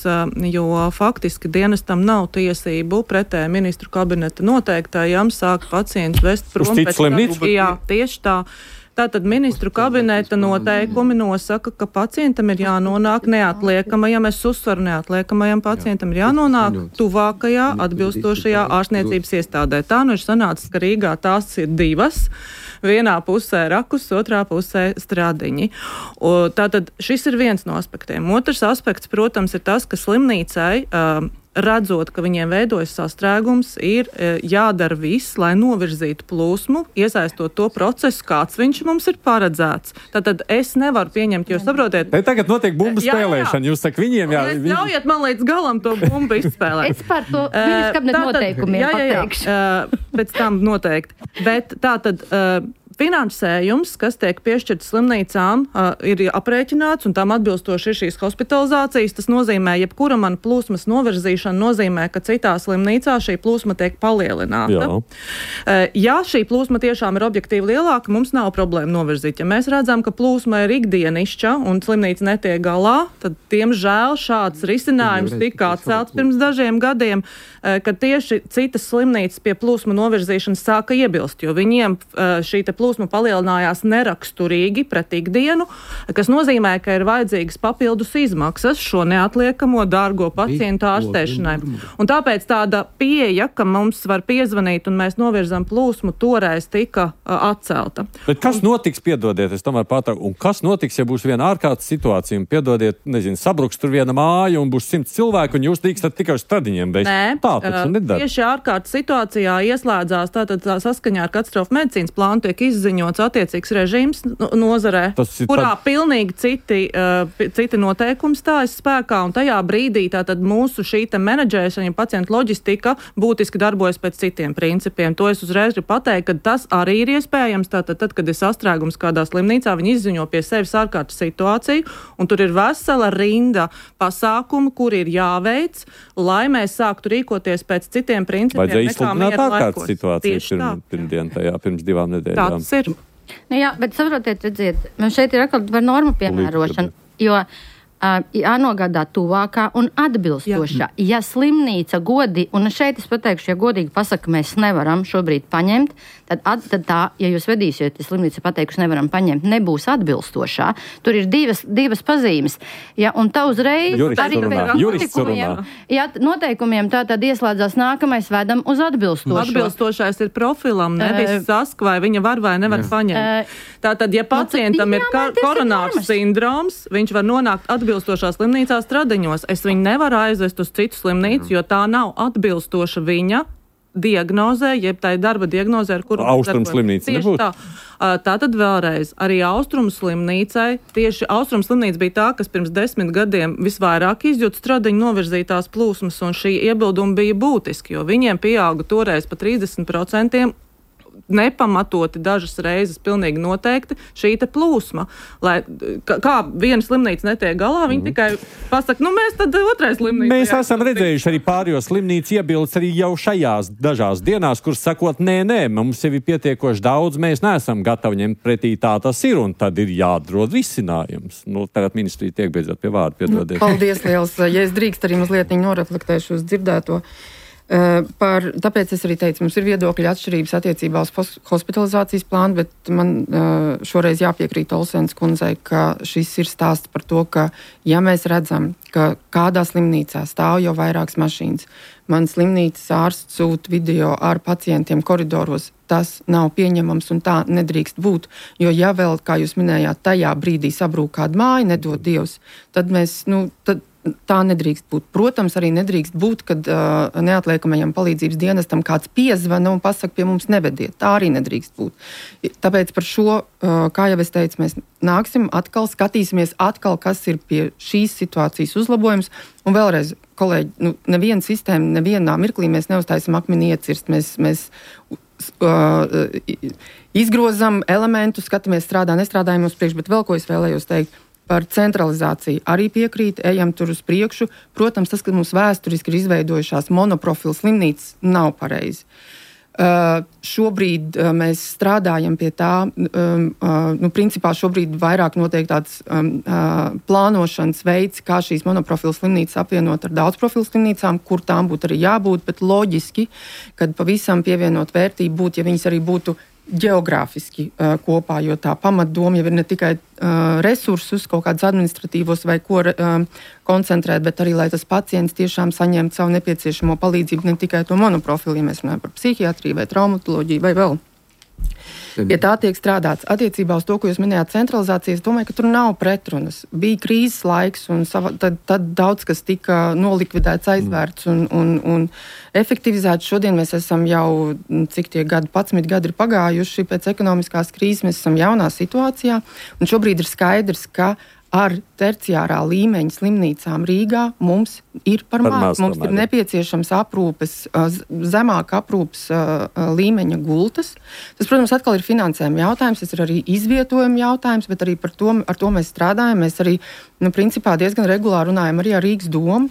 [SPEAKER 5] jo faktiski dienestam nav tiesību pretēji ministru kabineta noteiktajam sākt pacientus vest prom.
[SPEAKER 2] Uz citu slimnīcu?
[SPEAKER 5] Jā, tieši tā. Tātad ministru kabineta noteikumi nosaka, ka pacientam ir jānonāk neatliekamajam, es uzsveru neatliekamajam pacientam ir jānonāk tuvākajā atbilstošajā ārstniecības iestādē. Tā nu ir sanācis, ka Rīgā tās ir divas. Vienā pusē Rakus, otrā pusē Stradiņi. Tātad šis ir viens no aspektiem. Otrs aspekts, protams, ir tas, ka slimnīcai redzot, ka viņiem veidojas sastrēgums, ir jādara viss, lai novirzītu plūsmu, iesaistot to procesu, kāds viņš mums ir paredzēts. Tātad es nevaru pieņemt, jo saprotiet...
[SPEAKER 2] Te tagad notiek bumbu spēlēšana, jūs saka viņiem
[SPEAKER 5] Ļaujiet man līdz galam to bumbu izspēlēt.
[SPEAKER 7] Es par to ministru kabineta noteikumiem pateikšu.
[SPEAKER 5] Pēc tam noteikti. Bet tātad... Finansējums, kas tiek piešķirts slimnīcām, ir aprēķināts un tam atbilstoši ir šīs hospitalizācijas. Tas nozīmē, jebkura man plūsmas novirzīšana nozīmē, ka citā slimnīcā šī plūsma tiek palielināta. Ja šī plūsma tiešām ir objektīvi lielāka, mums nav problēma novirzīt. Ja mēs redzam, ka plūsma ir ikdienišķa un slimnīca netiek galā, tad, diemžēl, šāds risinājums tika atcelts pirms dažiem gadiem, kad tieši citas slimnīcas pie plūsma novirzīšanas sāka iebilst, jo viņiem šī plūsma palielinājās neraksturīgi pret ikdienu, kas nozīmē, ka ir vajadzīgas papildus izmaksas šo neatliekamo dārgo pacientu ārstēšanai. Un tāpēc tāda pieeja, ka mums var piezvanīt un mēs novirzam plūsmu, toreiz tika atcelta.
[SPEAKER 2] Bet kas notiks, piedodiet, es tomēr pārtraucu, un kas notiks, ja būs viena ārkārtas situācija, un piedodiet, nezinu, sabruks tur viena māja un būs 100 cilvēku, un jūs drīkstat tikai uz Stradiņiem beigt?
[SPEAKER 5] Nē, tieši ārkārtas situācijā ieslēdzās tātad saskaņā ar katastrofu medicīnas plānu tiek izziņots attiecīgs režīms nozarē, kurā pilnīgi citi noteikumi stājas spēkā, un tajā brīdī tātad mūsu šī menedžēšana, ja pacientu loģistika būtiski darbojas pēc citiem principiem. To es uzreiz gribu pateikt, ka tas arī ir iespējams. Tātad, tad, kad ir sastrēgums kādā slimnīcā, viņi izziņo pie sevis ārkārtas situāciju, un tur ir vesela rinda pasākumu, kuri ir jāveic, lai mēs sāktu rīkoties pēc citiem principiem.
[SPEAKER 2] Vajadzēja izsludināt ārkārtas situāciju pirms 2 nedēļām.
[SPEAKER 5] Tas ir.
[SPEAKER 7] Nu jā, bet saprotiet, redziet, man šeit ir atkal par normu piemērošanu, jo jānogādā tuvākā un atbilstošā. Ja slimnīca un šeit es pateikšu, ja godīgi pasaka, mēs nevaram šobrīd paņemt, tad tā, ja jūs vedīsiet, ja slimnīca pateikuši nevaram paņemt, nebūs atbilstošā. Tur ir divas pazīmes. Ja, un tā uzreiz noteikumiem tā tad ieslēdzās nākamais vedam uz atbilstošo.
[SPEAKER 5] Atbilstošais ir profilam, nevis sask, vai viņa var vai nevar paņemt. Tātad, ja pacientam ir koronārs sindroms, viņš var nonākt atbilstošā slimnīcā Stradiņos. Es viņu nevaru aizvest uz citu slimnīcu, jo tā nav atbilstoša viņa diagnozē, jeb tā ir darba diagnozē, ar kuru
[SPEAKER 2] Austrumu slimnīca nebūtu.
[SPEAKER 5] Tātad vēlreiz, arī Austrumu slimnīcai, tieši Austrumu slimnīca bija tā, kas pirms 10 gadiem visvairāk izjūt Stradiņu novirzītās plūsmas, un šī iebilduma bija būtiski, jo viņiem pieauga toreiz pa 30%, nepamatoti dažas reizes pilnīgi noteikti šī te plūsma. Lai, kā viena slimnīca netiek galā, viņi tikai pasaka, mēs tad otrais slimnīca.
[SPEAKER 2] Mēs esam redzējuši arī pārējo slimnīcu iebildes arī jau šajās dažās dienās, kuras sakot, nē, mums jau ir pietiekoši daudz, mēs neesam gatavi ņemt pretī, tā tas ir, un tad ir jāatrod risinājums. Tagad ministrija tiek beidzot pie vārda, piedodiet.
[SPEAKER 3] Paldies liels. Ja es drīkst arī mazliet noreflektēšu uz dzirdēto. Tāpēc es arī teicu, mums ir viedokļa atšķirības attiecībā uz hospitalizācijas plānu, bet man šoreiz jāpiekrīt Olsens kundzei, ka šis ir stāsts par to, ka ja mēs redzam, ka kādā slimnīcā stāv jau vairākas mašīnas, man slimnīcas ārsts sūta video ar pacientiem koridoros, tas nav pieņemams un tā nedrīkst būt, jo ja vēl, kā jūs minējāt, tajā brīdī sabrūk kāda māja, nedod Dievs, tad mēs, tā nedrīkst būt. Protams, arī nedrīkst būt, kad neatliekamajam palīdzības dienestam kāds piezvana un pasaka, pie mums nevediet. Tā arī nedrīkst būt. Tāpēc par šo, kā jau es teicu, mēs nāksim atkal, skatīsimies atkal, kas ir pie šīs situācijas uzlabojums. Un vēlreiz, kolēģi, neviena sistēma, nevienā mirklī mēs neuztaisam akmeni iecirst. Mēs izgrozam elementus, skatāmies, strādā, nestrādājam uz priekšu, bet vēl ko es vēlējos teikt. Par centralizāciju arī piekrīt, ejam tur uz priekšu. Protams, tas, ka mums vēsturiski ir izveidojušās monoprofilu slimnīcas, nav pareizi. Šobrīd mēs strādājam pie tā, principā šobrīd vairāk notiek tāds plānošanas veids, kā šīs monoprofilu slimnīcas apvienot ar daudzprofilu slimnīcām, kur tām būtu arī jābūt, bet loģiski, kad pavisam pievienot vērtību būtu, ja viņas arī būtu ģeogrāfiski kopā, jo tā pamatdoma jau ir ne tikai resursus, kaut kādus administratīvos vai ko koncentrēt, bet arī, lai tas pacients tiešām saņemtu savu nepieciešamo palīdzību, ne tikai to monoprofilu, ja mēs runājam par psihiatriju vai traumatoloģiju vai vēl. Pie tā tiek strādāts. Attiecībā uz to, ko jūs minējāt centralizācijas, domāju, ka tur nav pretrunas. Bija krīzes laiks, un tad daudz kas tika nolikvidēts, aizvērts un efektivizēts. Šodien mēs esam jau, cik tie 11 gadi ir pagājuši pēc ekonomiskās krīzes, mēs esam jaunā situācijā, un šobrīd ir skaidrs, ka ar terciārā līmeņa slimnīcām Rīgā mums ir par maz. Mums ir nepieciešams zemāk aprūpes līmeņa gultas. Tas, protams, atkal ir finansējuma jautājums, tas ir arī izvietojuma jautājums, bet arī ar to mēs strādājam. Mēs arī, principā diezgan regulāri runājam arī ar Rīgas domu,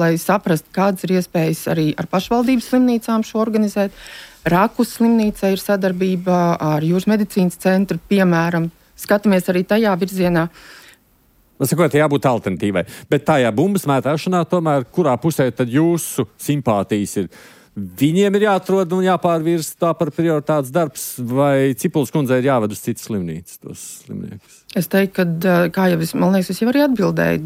[SPEAKER 3] lai saprastu, kādas ir iespējas arī ar pašvaldības slimnīcām šo organizēt. Rakus slimnīca ir sadarbība ar Jūras medicīnas centru, piemēram. Skatāmies arī tajā virzienā.
[SPEAKER 2] Sakot, jābūt alternatīvai. Bet tajā bumbas mētāšanā tomēr, kurā pusē tad jūsu simpātijas ir? Viņiem ir jāatrod un jāpārvirz tā par prioritātes darbs, vai Cipuls kundzei ir jāved uz citas slimnīcas tos slimniekus?
[SPEAKER 3] Es teiktu, ka, kā jau man liekas, es jau arī atbildēju,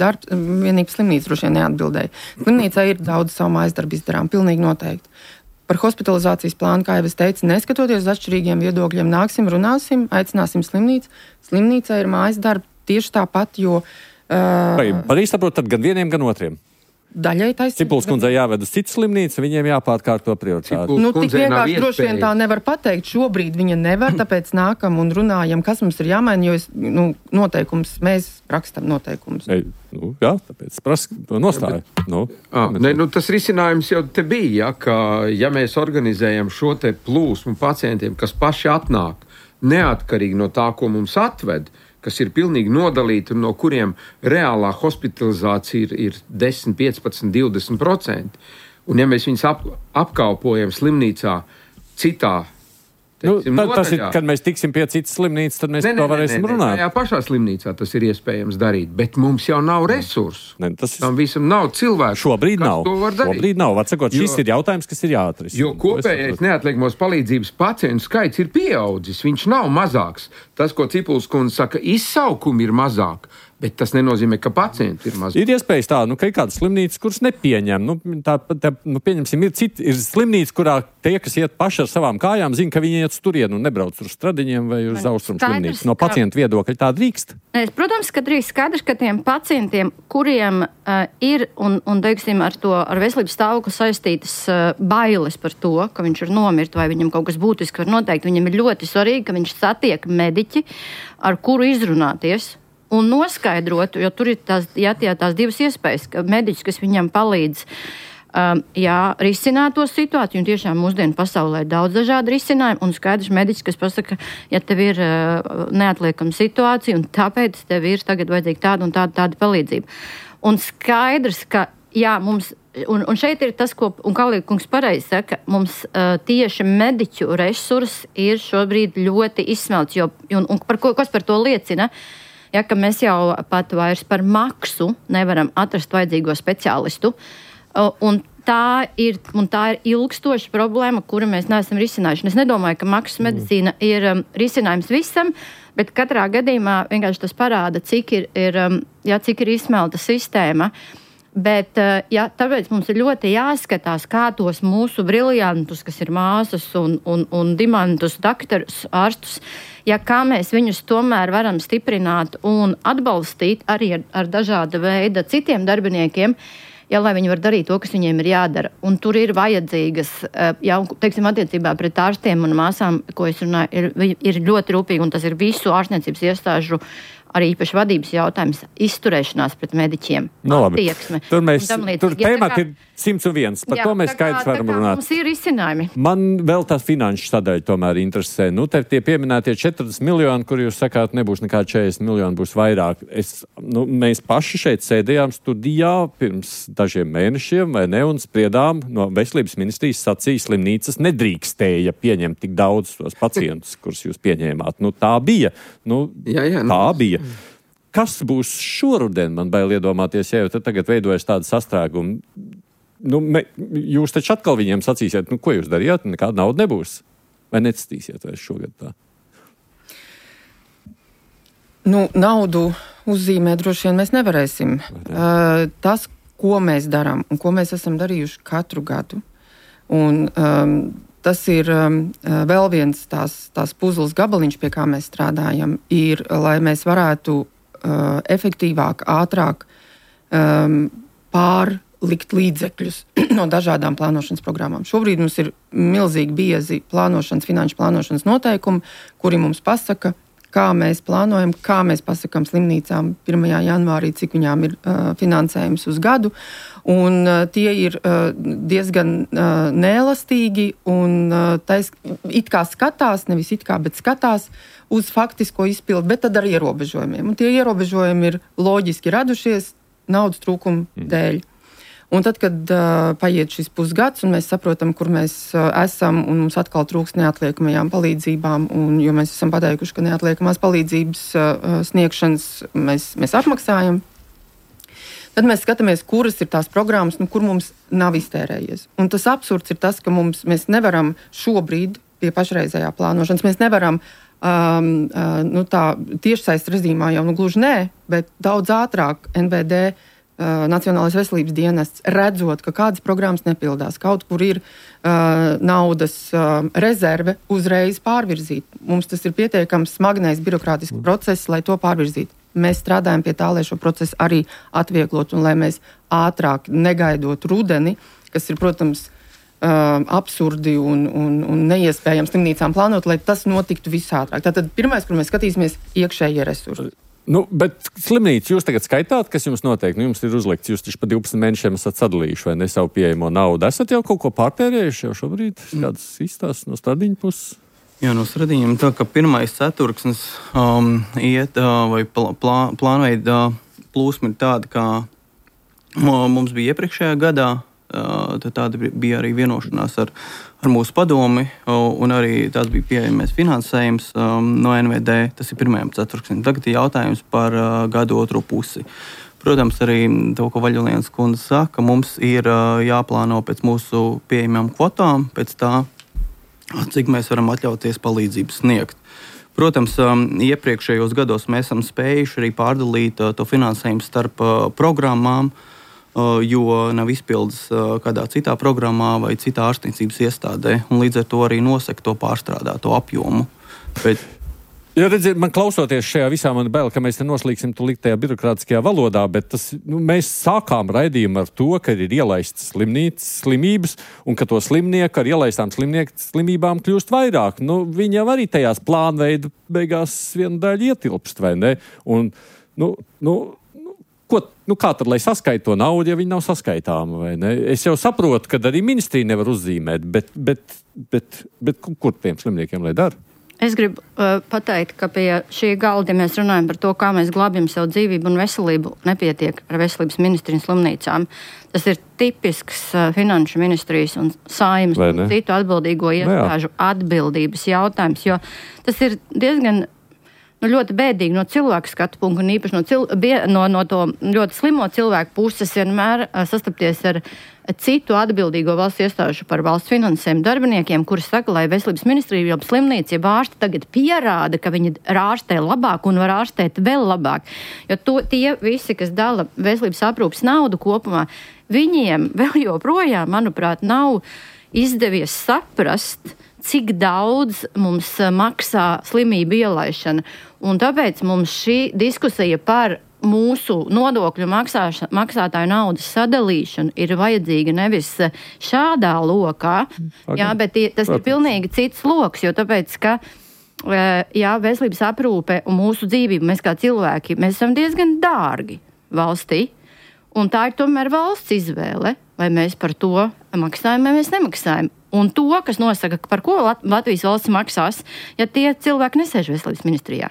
[SPEAKER 3] vienīgi slimnīca droši vien neatbildēja. Slimnīcā ir daudz savu mājasdarbu izdarām, pilnīgi noteikti. Par hospitalizācijas plānu, kā jau es teicu, neskatoties uz atšķirīgiem viedokļiem, nāksim, runāsim, aicināsim slimnīcu. Slimnīcā ir mājas darbi tieši tāpat, jo...
[SPEAKER 2] Pareizi saprot, tad gan vieniem, gan otriem.
[SPEAKER 3] Daļai taisnība.
[SPEAKER 2] Cipuls kundzei jāved uz citu slimnīcu, viņiem jāpārkārto prioritāti.
[SPEAKER 3] Tik vienkārši droši vien tā nevar pateikt. Šobrīd viņa nevar, tāpēc nākam un runājam, kas mums ir jāmaina, jo noteikums, mēs rakstam noteikumus.
[SPEAKER 2] Jā, tāpēc prask to nostāju.
[SPEAKER 6] Tas risinājums jau te bija, ka ja mēs organizējam šo te plūsmu pacientiem, kas paši atnāk, neatkarīgi no tā, ko mums atved, kas ir pilnīgi nodalīti un no kuriem reālā hospitalizācija ir 10, 15, 20%. Un ja mēs viņus apkalpojam slimnīcā citā,
[SPEAKER 2] tas ir, kad mēs tiksim pie citas slimnīcas, tad mēs to varēsim runāt.
[SPEAKER 6] Jā, pašā slimnīcā tas ir iespējams darīt, bet mums jau nav resursu. Tam visam nav cilvēku.
[SPEAKER 2] Šobrīd nav. Šobrīd nav. Vatsakot, šis ir jautājums, kas ir jāatrisina.
[SPEAKER 6] Jo kopējais neatliekamos palīdzības pacientu skaits ir pieaudzis. Viņš nav mazāks. Tas, ko Cipuls kundze saka, izsaukumi ir mazāk. Bet tas nenozīmē, ka pacienti ir mazāk.
[SPEAKER 2] Ir iespējas tā, ka ir kāda slimnīca, kuras nepieņem. Pieņemsim, ir slimnīca, kurā tie, kas iet paši ar savām kājām, zina, ka viņi iet turien un nebrauc uz Stradiņiem vai uz Austrumu slimnīcu. No pacientu viedokļa tā drīkst?
[SPEAKER 7] Protams, ka drīkst. Skaidrs, ka tiem pacientiem, kuriem ir un teiksim, ar veselības stāvokli saistītas bailes par to, ka viņš ir nomirt vai viņam kaut kas būtiski var noteikt, viņam ir ļoti svarīgi, ka viņš satiek mediķi, ar kuru izrunāties. Un noskaidrot, jo tur ir tās divas iespējas, ka mediķis, kas viņam palīdz risināt to situāciju, un tiešām mūsdienu pasaulē ir daudz dažādu risinājumu, un skaidrs mediķis, kas pasaka, ja tev ir neatliekama situācija, un tāpēc tev ir tagad vajadzīga tāda un tāda palīdzība. Un skaidrs, ka mums, un šeit ir tas, ko, un Kalīkungs pareizi saka, mums tieši mediķu resursi ir šobrīd ļoti izsmelts, un kas par to liecina? Ja, ka mēs jau pat vairs par maksu nevaram atrast vajadzīgo speciālistu, un tā ir ilgstoša problēma, kuru mēs neesam risinājuši. Es nedomāju, ka maksas medicīna ir risinājums visam, bet katrā gadījumā vienkārši tas parāda, cik ir izsmelta sistēma. Bet, tāpēc mums ir ļoti jāskatās, kā tos mūsu briljantus, kas ir māsas un dimantus, daktarus, ārstus, kā mēs viņus tomēr varam stiprināt un atbalstīt arī ar dažāda veida citiem darbiniekiem, lai viņi var darīt to, kas viņiem ir jādara. Un tur ir vajadzīgas, teiksim, attiecībā pret ārstiem un māsām, ko es runāju, ir ļoti rūpīgi, un tas ir visu ārstniecības iestāžu arī īpaši vadības jautājums, izturēšanās pret mediķiem, attieksme.
[SPEAKER 2] Tur tēmati ir 101, par to mēs skaidrs varam runāt.
[SPEAKER 7] Mums ir izcinājumi.
[SPEAKER 2] Man vēl tā finanšu sadaļa tomēr interesē. Te tie pieminētie 40 miljoni, kur jūs sakāt, nebūs nekā 40 miljoni, būs vairāk. Mēs paši šeit sēdējām studijā pirms dažiem mēnešiem, vai ne, un spriedām no veselības ministrijas sacīja, slimnīcas nedrīkstēja pieņemt tik daudz tos pacientus, kurus jūs pieņēmāt. Tā bija. Tā bija. Kas būs šoruden, man bail iedomāties, ja jau tagad veidojas tāda sastrēguma? Jūs taču atkal viņiem sacīsiet, ko jūs darījāt, nekāda nauda nebūs. Vai necīsiet vairs šogad tā?
[SPEAKER 3] Naudu uzzīmēt droši vien mēs nevarēsim. Tas, ko mēs darām un ko mēs esam darījuši katru gadu, un tas ir vēl viens tās puzles gabaliņš, pie kā mēs strādājam, ir, lai mēs varētu efektīvāk, ātrāk pārlikt līdzekļus no dažādām plānošanas programmām. Šobrīd mums ir milzīgi biezi finanšu plānošanas noteikumi, kuri mums pasaka, kā mēs plānojam, kā mēs pasakām slimnīcām 1. janvārī, cik viņām ir finansējums uz gadu. Un tie ir diezgan neelastīgi un it kā skatās, nevis it kā, bet skatās uz faktisko izpildu, bet tad ar ierobežojumiem. Un tie ierobežojumi ir loģiski radušies naudas trūkuma dēļ. Un tad, kad paiet šis pusgads, un mēs saprotam, kur mēs esam, un mums atkal trūks neatliekamajām palīdzībām, un jo mēs esam pateikuši, ka neatliekamās palīdzības sniegšanas mēs apmaksājam, tad mēs skatāmies, kuras ir tās programmas, kur mums nav iztērējies. Un tas absurds ir tas, ka mēs nevaram šobrīd pie pašreizējā plānošanas, mēs nevaram tā tiešsaistes režīmā jau gluži nē, bet daudz ātrāk NVD Nacionālais veselības dienests, redzot, ka kādas programmas nepildās, kaut kur ir naudas rezerve, uzreiz pārvirzīt. Mums tas ir pietiekams smagnējs birokrātisks process, lai to pārvirzītu. Mēs strādājam pie tā, lai šo procesu arī atvieglot un lai mēs ātrāk negaidot rudeni, kas ir, protams, absurdi un neiespējams slimnīcām plānot, lai tas notiktu visātrāk. Tātad pirmais, kur mēs skatīsimies, iekšējie resursi.
[SPEAKER 2] Bet slimnīca jūs tagad skaitāt, kas jums notiek? Jums ir uzlikts, jūs taču pa 12 mēnešiem esat sadalījuši vai ne savu pieejamo naudu. Esat jau kaut ko pārtērējuši jau šobrīd? Kādas izstāsts no Stradiņa puses?
[SPEAKER 4] Jā, no Stradiņiem tā, ka pirmais ceturksnis iet vai plānveida plūsma ir tāda, kā mums bija iepriekšējā gadā. Tad tāda bija arī vienošanās ar mūsu padomi, un arī tās bija pieejamais finansējums no NVD. Tas ir pirmajam ceturksnim. Tagad ir jautājums par gadu otro pusi. Protams, arī to, ko Vaļulienas kundze saka, mums ir jāplāno pēc mūsu pieejamām kvotām, pēc tā, cik mēs varam atļauties palīdzību sniegt. Protams, iepriekšējos gados mēs esam spējuši arī pārdalīt to finansējumu starp programmām, jo nav izpildes kādā citā programmā vai citā ārstniecības iestādē, un līdz ar to arī nosaka to pārstrādāto apjomu. Bet
[SPEAKER 2] ja redziet, man klausoties šajā visā, man bail, ka mēs te noslīgsim tūlīt tajā birokrātiskajā valodā, bet mēs sākām raidījumu ar to, ka ir ielaistas slimības, un ka to slimnieku ar ielaistām slimībām kļūst vairāk. Viņi jau arī tajās plānveida beigās viena daļa ietilpst, vai ne? Un, kā tad, lai saskaita to naudu, ja viņi nav saskaitāma, vai ne? Es jau saprotu, ka arī ministrija nevar uzzīmēt, bet kur tiem slimniekiem lai dara?
[SPEAKER 7] Es gribu pateikt, ka pie šī galda, ja mēs runājam par to, kā mēs glābjam savu dzīvību un veselību, nepietiek ar veselības ministriju un slimnīcām. Tas ir tipisks finanšu ministrijas un Saeimas un citu atbildīgo iestāžu atbildības jautājums, jo tas ir diezgan ļoti bēdīgi no cilvēka skatu punkta un īpaši no to ļoti slimo cilvēku puses vienmēr sastapties ar citu atbildīgo valsts iestāžu par valsts finansējumu darbiniekiem, kuri saka, lai veselības ministrija, jau slimnīca, ja ārsti tagad pierāda, ka viņi ārstē labāk un var ārstēt vēl labāk. Jo tie visi, kas dala veselības aprūpes naudu kopumā, viņiem vēl joprojām, manuprāt, nav izdevies saprast, cik daudz mums maksā slimību ielaišana. Un tāpēc mums šī diskusija par mūsu nodokļu maksātāju naudas sadalīšanu ir vajadzīga nevis šādā lokā, jā, bet tas ir pilnīgi cits loks, jo tāpēc, ka jā, veselības aprūpe un mūsu dzīvība, mēs kā cilvēki, mēs esam diezgan dārgi valstī. Un tā ir tomēr valsts izvēle, vai mēs par to maksājam, vai mēs nemaksājam. Un to, kas nosaka, par ko Latvijas valsts maksās, ja tie cilvēki nesēž veselības ministrijā.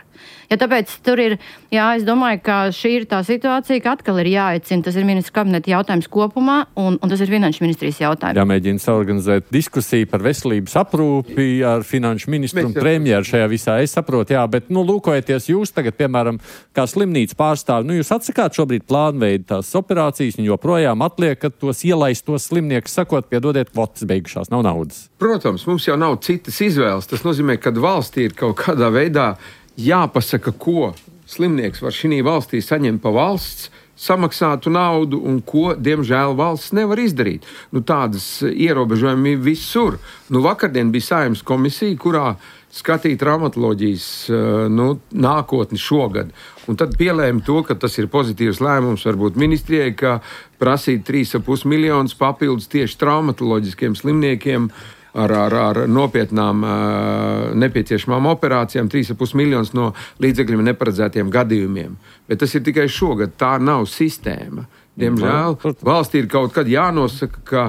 [SPEAKER 7] Ja tāpēc tur ir, es domāju, ka šī ir tā situācija, ka atkal ir jāicina, tas ir ministru kabineta jautājums kopumā, un tas ir finanšu ministrijas jautājums.
[SPEAKER 2] Jāmēģina saorganizēt diskusiju par veselības aprūpi ar finanšu ministru un premjeru šajā visā. Es saprotu, bet, lūkojoties jūs tagad, piemēram, kā slimnīca pārstāvi, jūs atsakāt šobrīd plānveidu tās operācijas un joprojām atliekat tos ielaistos slimniekus, sakot, piedodiet, kvotas beigušās, nav naudas.
[SPEAKER 6] Protams, mums jau nav citas izvēles. Tas nozīmē, ka valstī ir kaut kādā veidā jāpasaka, ko slimnieks var šī valstī saņemt pa valsts samaksātu naudu un ko, diemžēl, valsts nevar izdarīt. Tādas ierobežojumi visur. Vakardien bija Saeimas komisija, kurā skatīt traumatoloģijas nākotni šogad. Un tad pielēma to, ka tas ir pozitīvs lēmums varbūt ministrijai, ka prasīt 3,5 miljonus papildus tieši traumatoloģiskiem slimniekiem ar nopietnām nepieciešamām operācijām, 3,5 miljonus no līdzekļiem neparedzētiem gadījumiem. Bet tas ir tikai šogad, tā nav sistēma. Diemžēl valstī ir kaut kad jānosaka, ka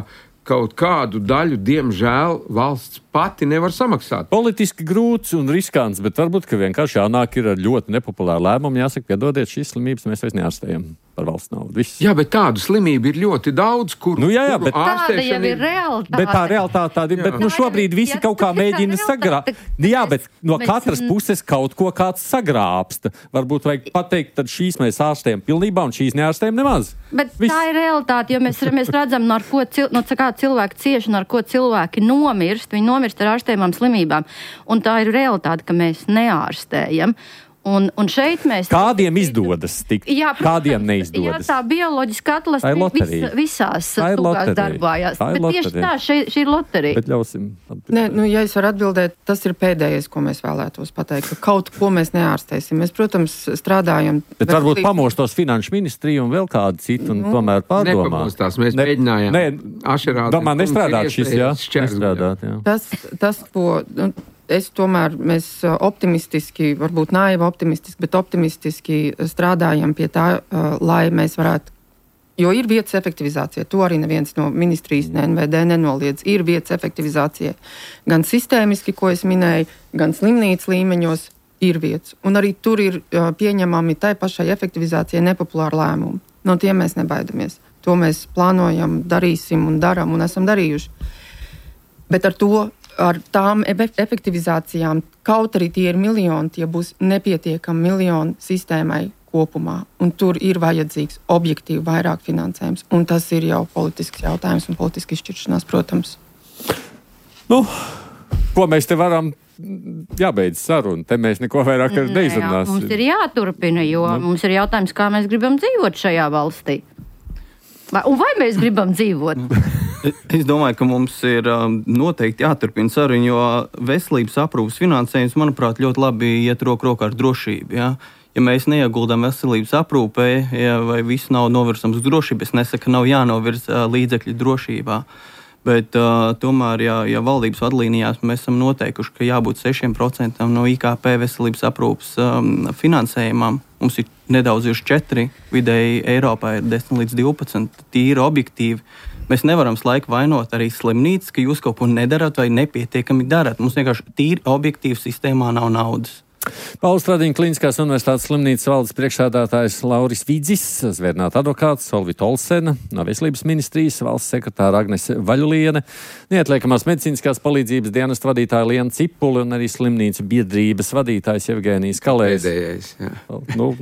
[SPEAKER 6] kaut kādu daļu, diemžēl, valsts pati nevar samaksāt.
[SPEAKER 2] Politiski grūts un riskants, bet varbūt, ka vienkārši jānāk ir ar ļoti nepopulāru lēmumu, jāsaka, piedodiet, šīs slimības mēs vairs neārstējam par valsts naudu. Viss.
[SPEAKER 6] Jā, bet tādu slimību ir ļoti daudz, kur
[SPEAKER 2] bet
[SPEAKER 7] tāda jau ir realitāte.
[SPEAKER 2] Bet tā realitāte tāda ir, bet šobrīd visi kaut kā mēģina sagrābt. Jā, bet no katras puses kaut ko kāds sagrābsta. Varbūt vajag pateikt, tad šīs mēs ārstējam pilnībā un šīs neārstējam nemaz.
[SPEAKER 7] Bet tā ir realitāte, jo mēs redzam, no kā cilvēki cieši un ar ko cilvēki nomirst. Viņi nomirst ar ārstējumām slimībām. Un tā ir realitāte, ka mēs neārstējam. Un šeit mēs...
[SPEAKER 2] Kādiem izdodas tikt? Kādiem neizdodas?
[SPEAKER 7] Jā, tā bioloģiska atlasība visās tūkās darbājās. Bet tieši tā, šī ir loterija.
[SPEAKER 2] Bet ļausim.
[SPEAKER 3] Ja es varu atbildēt, tas ir pēdējais, ko mēs vēlētos pateikt, ka kaut ko mēs neārstēsim. Mēs, protams, strādājam...
[SPEAKER 2] Bet varbūt pamostos finanšu ministriju un vēl kādu citu un tomēr pārdomā.
[SPEAKER 6] Nepamostās, mēs mēģinājām.
[SPEAKER 2] Domāju, nestrādāt šis, nestrādāt,
[SPEAKER 3] Tas, ko... Mēs optimistiski, varbūt naivi optimistiski, bet optimistiski strādājam pie tā, lai mēs varētu, jo ir vietas efektivizācija, to arī neviens no ministrijas, ne NVD nenoliedz, ir vietas efektivizācija gan sistēmiski, ko es minēju, gan slimnīcas līmeņos ir vietas. Un arī tur ir pieņemami tai pašai efektivizācijai nepopulāri lēmumi. No tiem mēs nebaidamies. To mēs plānojam, darīsim un daram un esam darījuši. Bet ar tām efektivizācijām, kaut arī tie ir miljoni, tie būs nepietiekami miljoni sistēmai kopumā. Un tur ir vajadzīgs objektīvi vairāk finansējums. Un tas ir jau politisks jautājums un politiski izšķiršanās, protams.
[SPEAKER 2] Ko mēs te varam? Jābeidz saruna. Te mēs neko vairāk neizrunāsim.
[SPEAKER 7] Mums ir jāturpina, jo mums ir jautājums, kā mēs gribam dzīvot šajā valstī. Vai mēs gribam dzīvot?
[SPEAKER 4] Es domāju, ka mums ir noteikti jāturpina saruna, jo veselības aprūpes finansējums, manuprāt, ļoti labi iet roku rokā ar drošību. Ja mēs neieguldām veselības aprūpē, vai visu nav novirzams uz drošību, es nesaku, ka nav jānovirz līdzekļu drošībā. Bet tomēr, ja valdības vadlīnijās mēs esam noteikuši, ka jābūt 6% no IKP veselības aprūpes finansējumam, mums ir nedaudz uz 4, vidēji Eiropā ir 10 līdz 12, tīri objektīvi. Mēs nevaram laiku vainot arī slimnīcas, ka jūs kaut ko nedarat vai nepietiekami darat. Mums vienkārši tīri objektīvi sistēmā nav naudas.
[SPEAKER 2] Pauls Stradiņa Kliniskās universitātes slimnīcas valdes priekšsēdētājs Lauris Vidzis, zvērnāta advokāts Solvita Olsena, no Veselības ministrijas valsts sekretāra Agnese Vaļuliene, neatliekamās medicīniskās palīdzības dienesta vadītāja Liena Cipuli un arī slimnīca biedrības vadītājs Jevgenijs Kalējs.
[SPEAKER 6] Pēdējais, jā.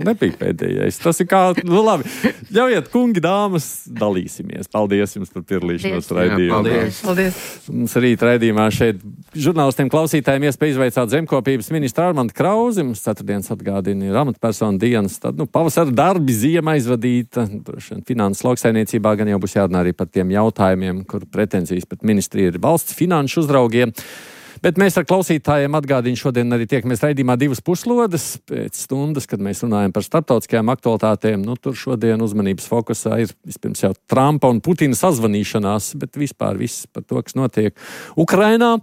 [SPEAKER 2] Nebija pēdējais. Tas ir kā, labi. Ļaujiet, kungi, dāmas, dalīsimies. Paldies jums par piedalīšanos raidījumā.
[SPEAKER 3] Paldies.
[SPEAKER 2] Mums rīt raidījumā šeit žurnālistiem klausītājiem iespēja izvaicāt zemkopības ministru Armandu Krauzi. Mums ceturtdienas atgādina ir amatpersonu dienas. Tad, pavasara darbi, ziema aizvadīta. Finanses lauksaimniecībā gan jau būs jārunā arī par tiem jautājumiem, kur pretenzijas pret ministriju ir valsts finanšu uzraugiem. Bet mēs ar klausītājiem atgādīju šodien arī tiekamies raidījumā 2 puslodes pēc stundas, kad mēs runājam par starptautiskajām aktualitātēm. Nu, tur šodien uzmanības fokusā ir vispirms jau Trumpa un Putina sazvanīšanās, bet vispār viss par to, kas notiek Ukrainā.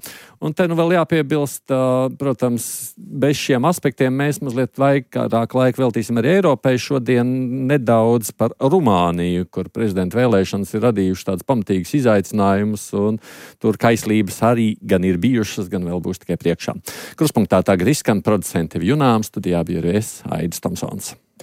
[SPEAKER 2] Un te nu vēl jāpiebilst, protams, bez šiem aspektiem mēs mazliet vairāk laika veltīsim arī Eiropai. Šodien nedaudz par Rumāniju, kur prezidenta vēlēšanas ir radījušas tādas pamatīgas izaicinājumus, un tur kaislības arī gan ir bijušas, gan vēl būs tikai priekšā. Kruspunktā tagad izskan producenti Junām, studijā bija es, Aidis Tomsons.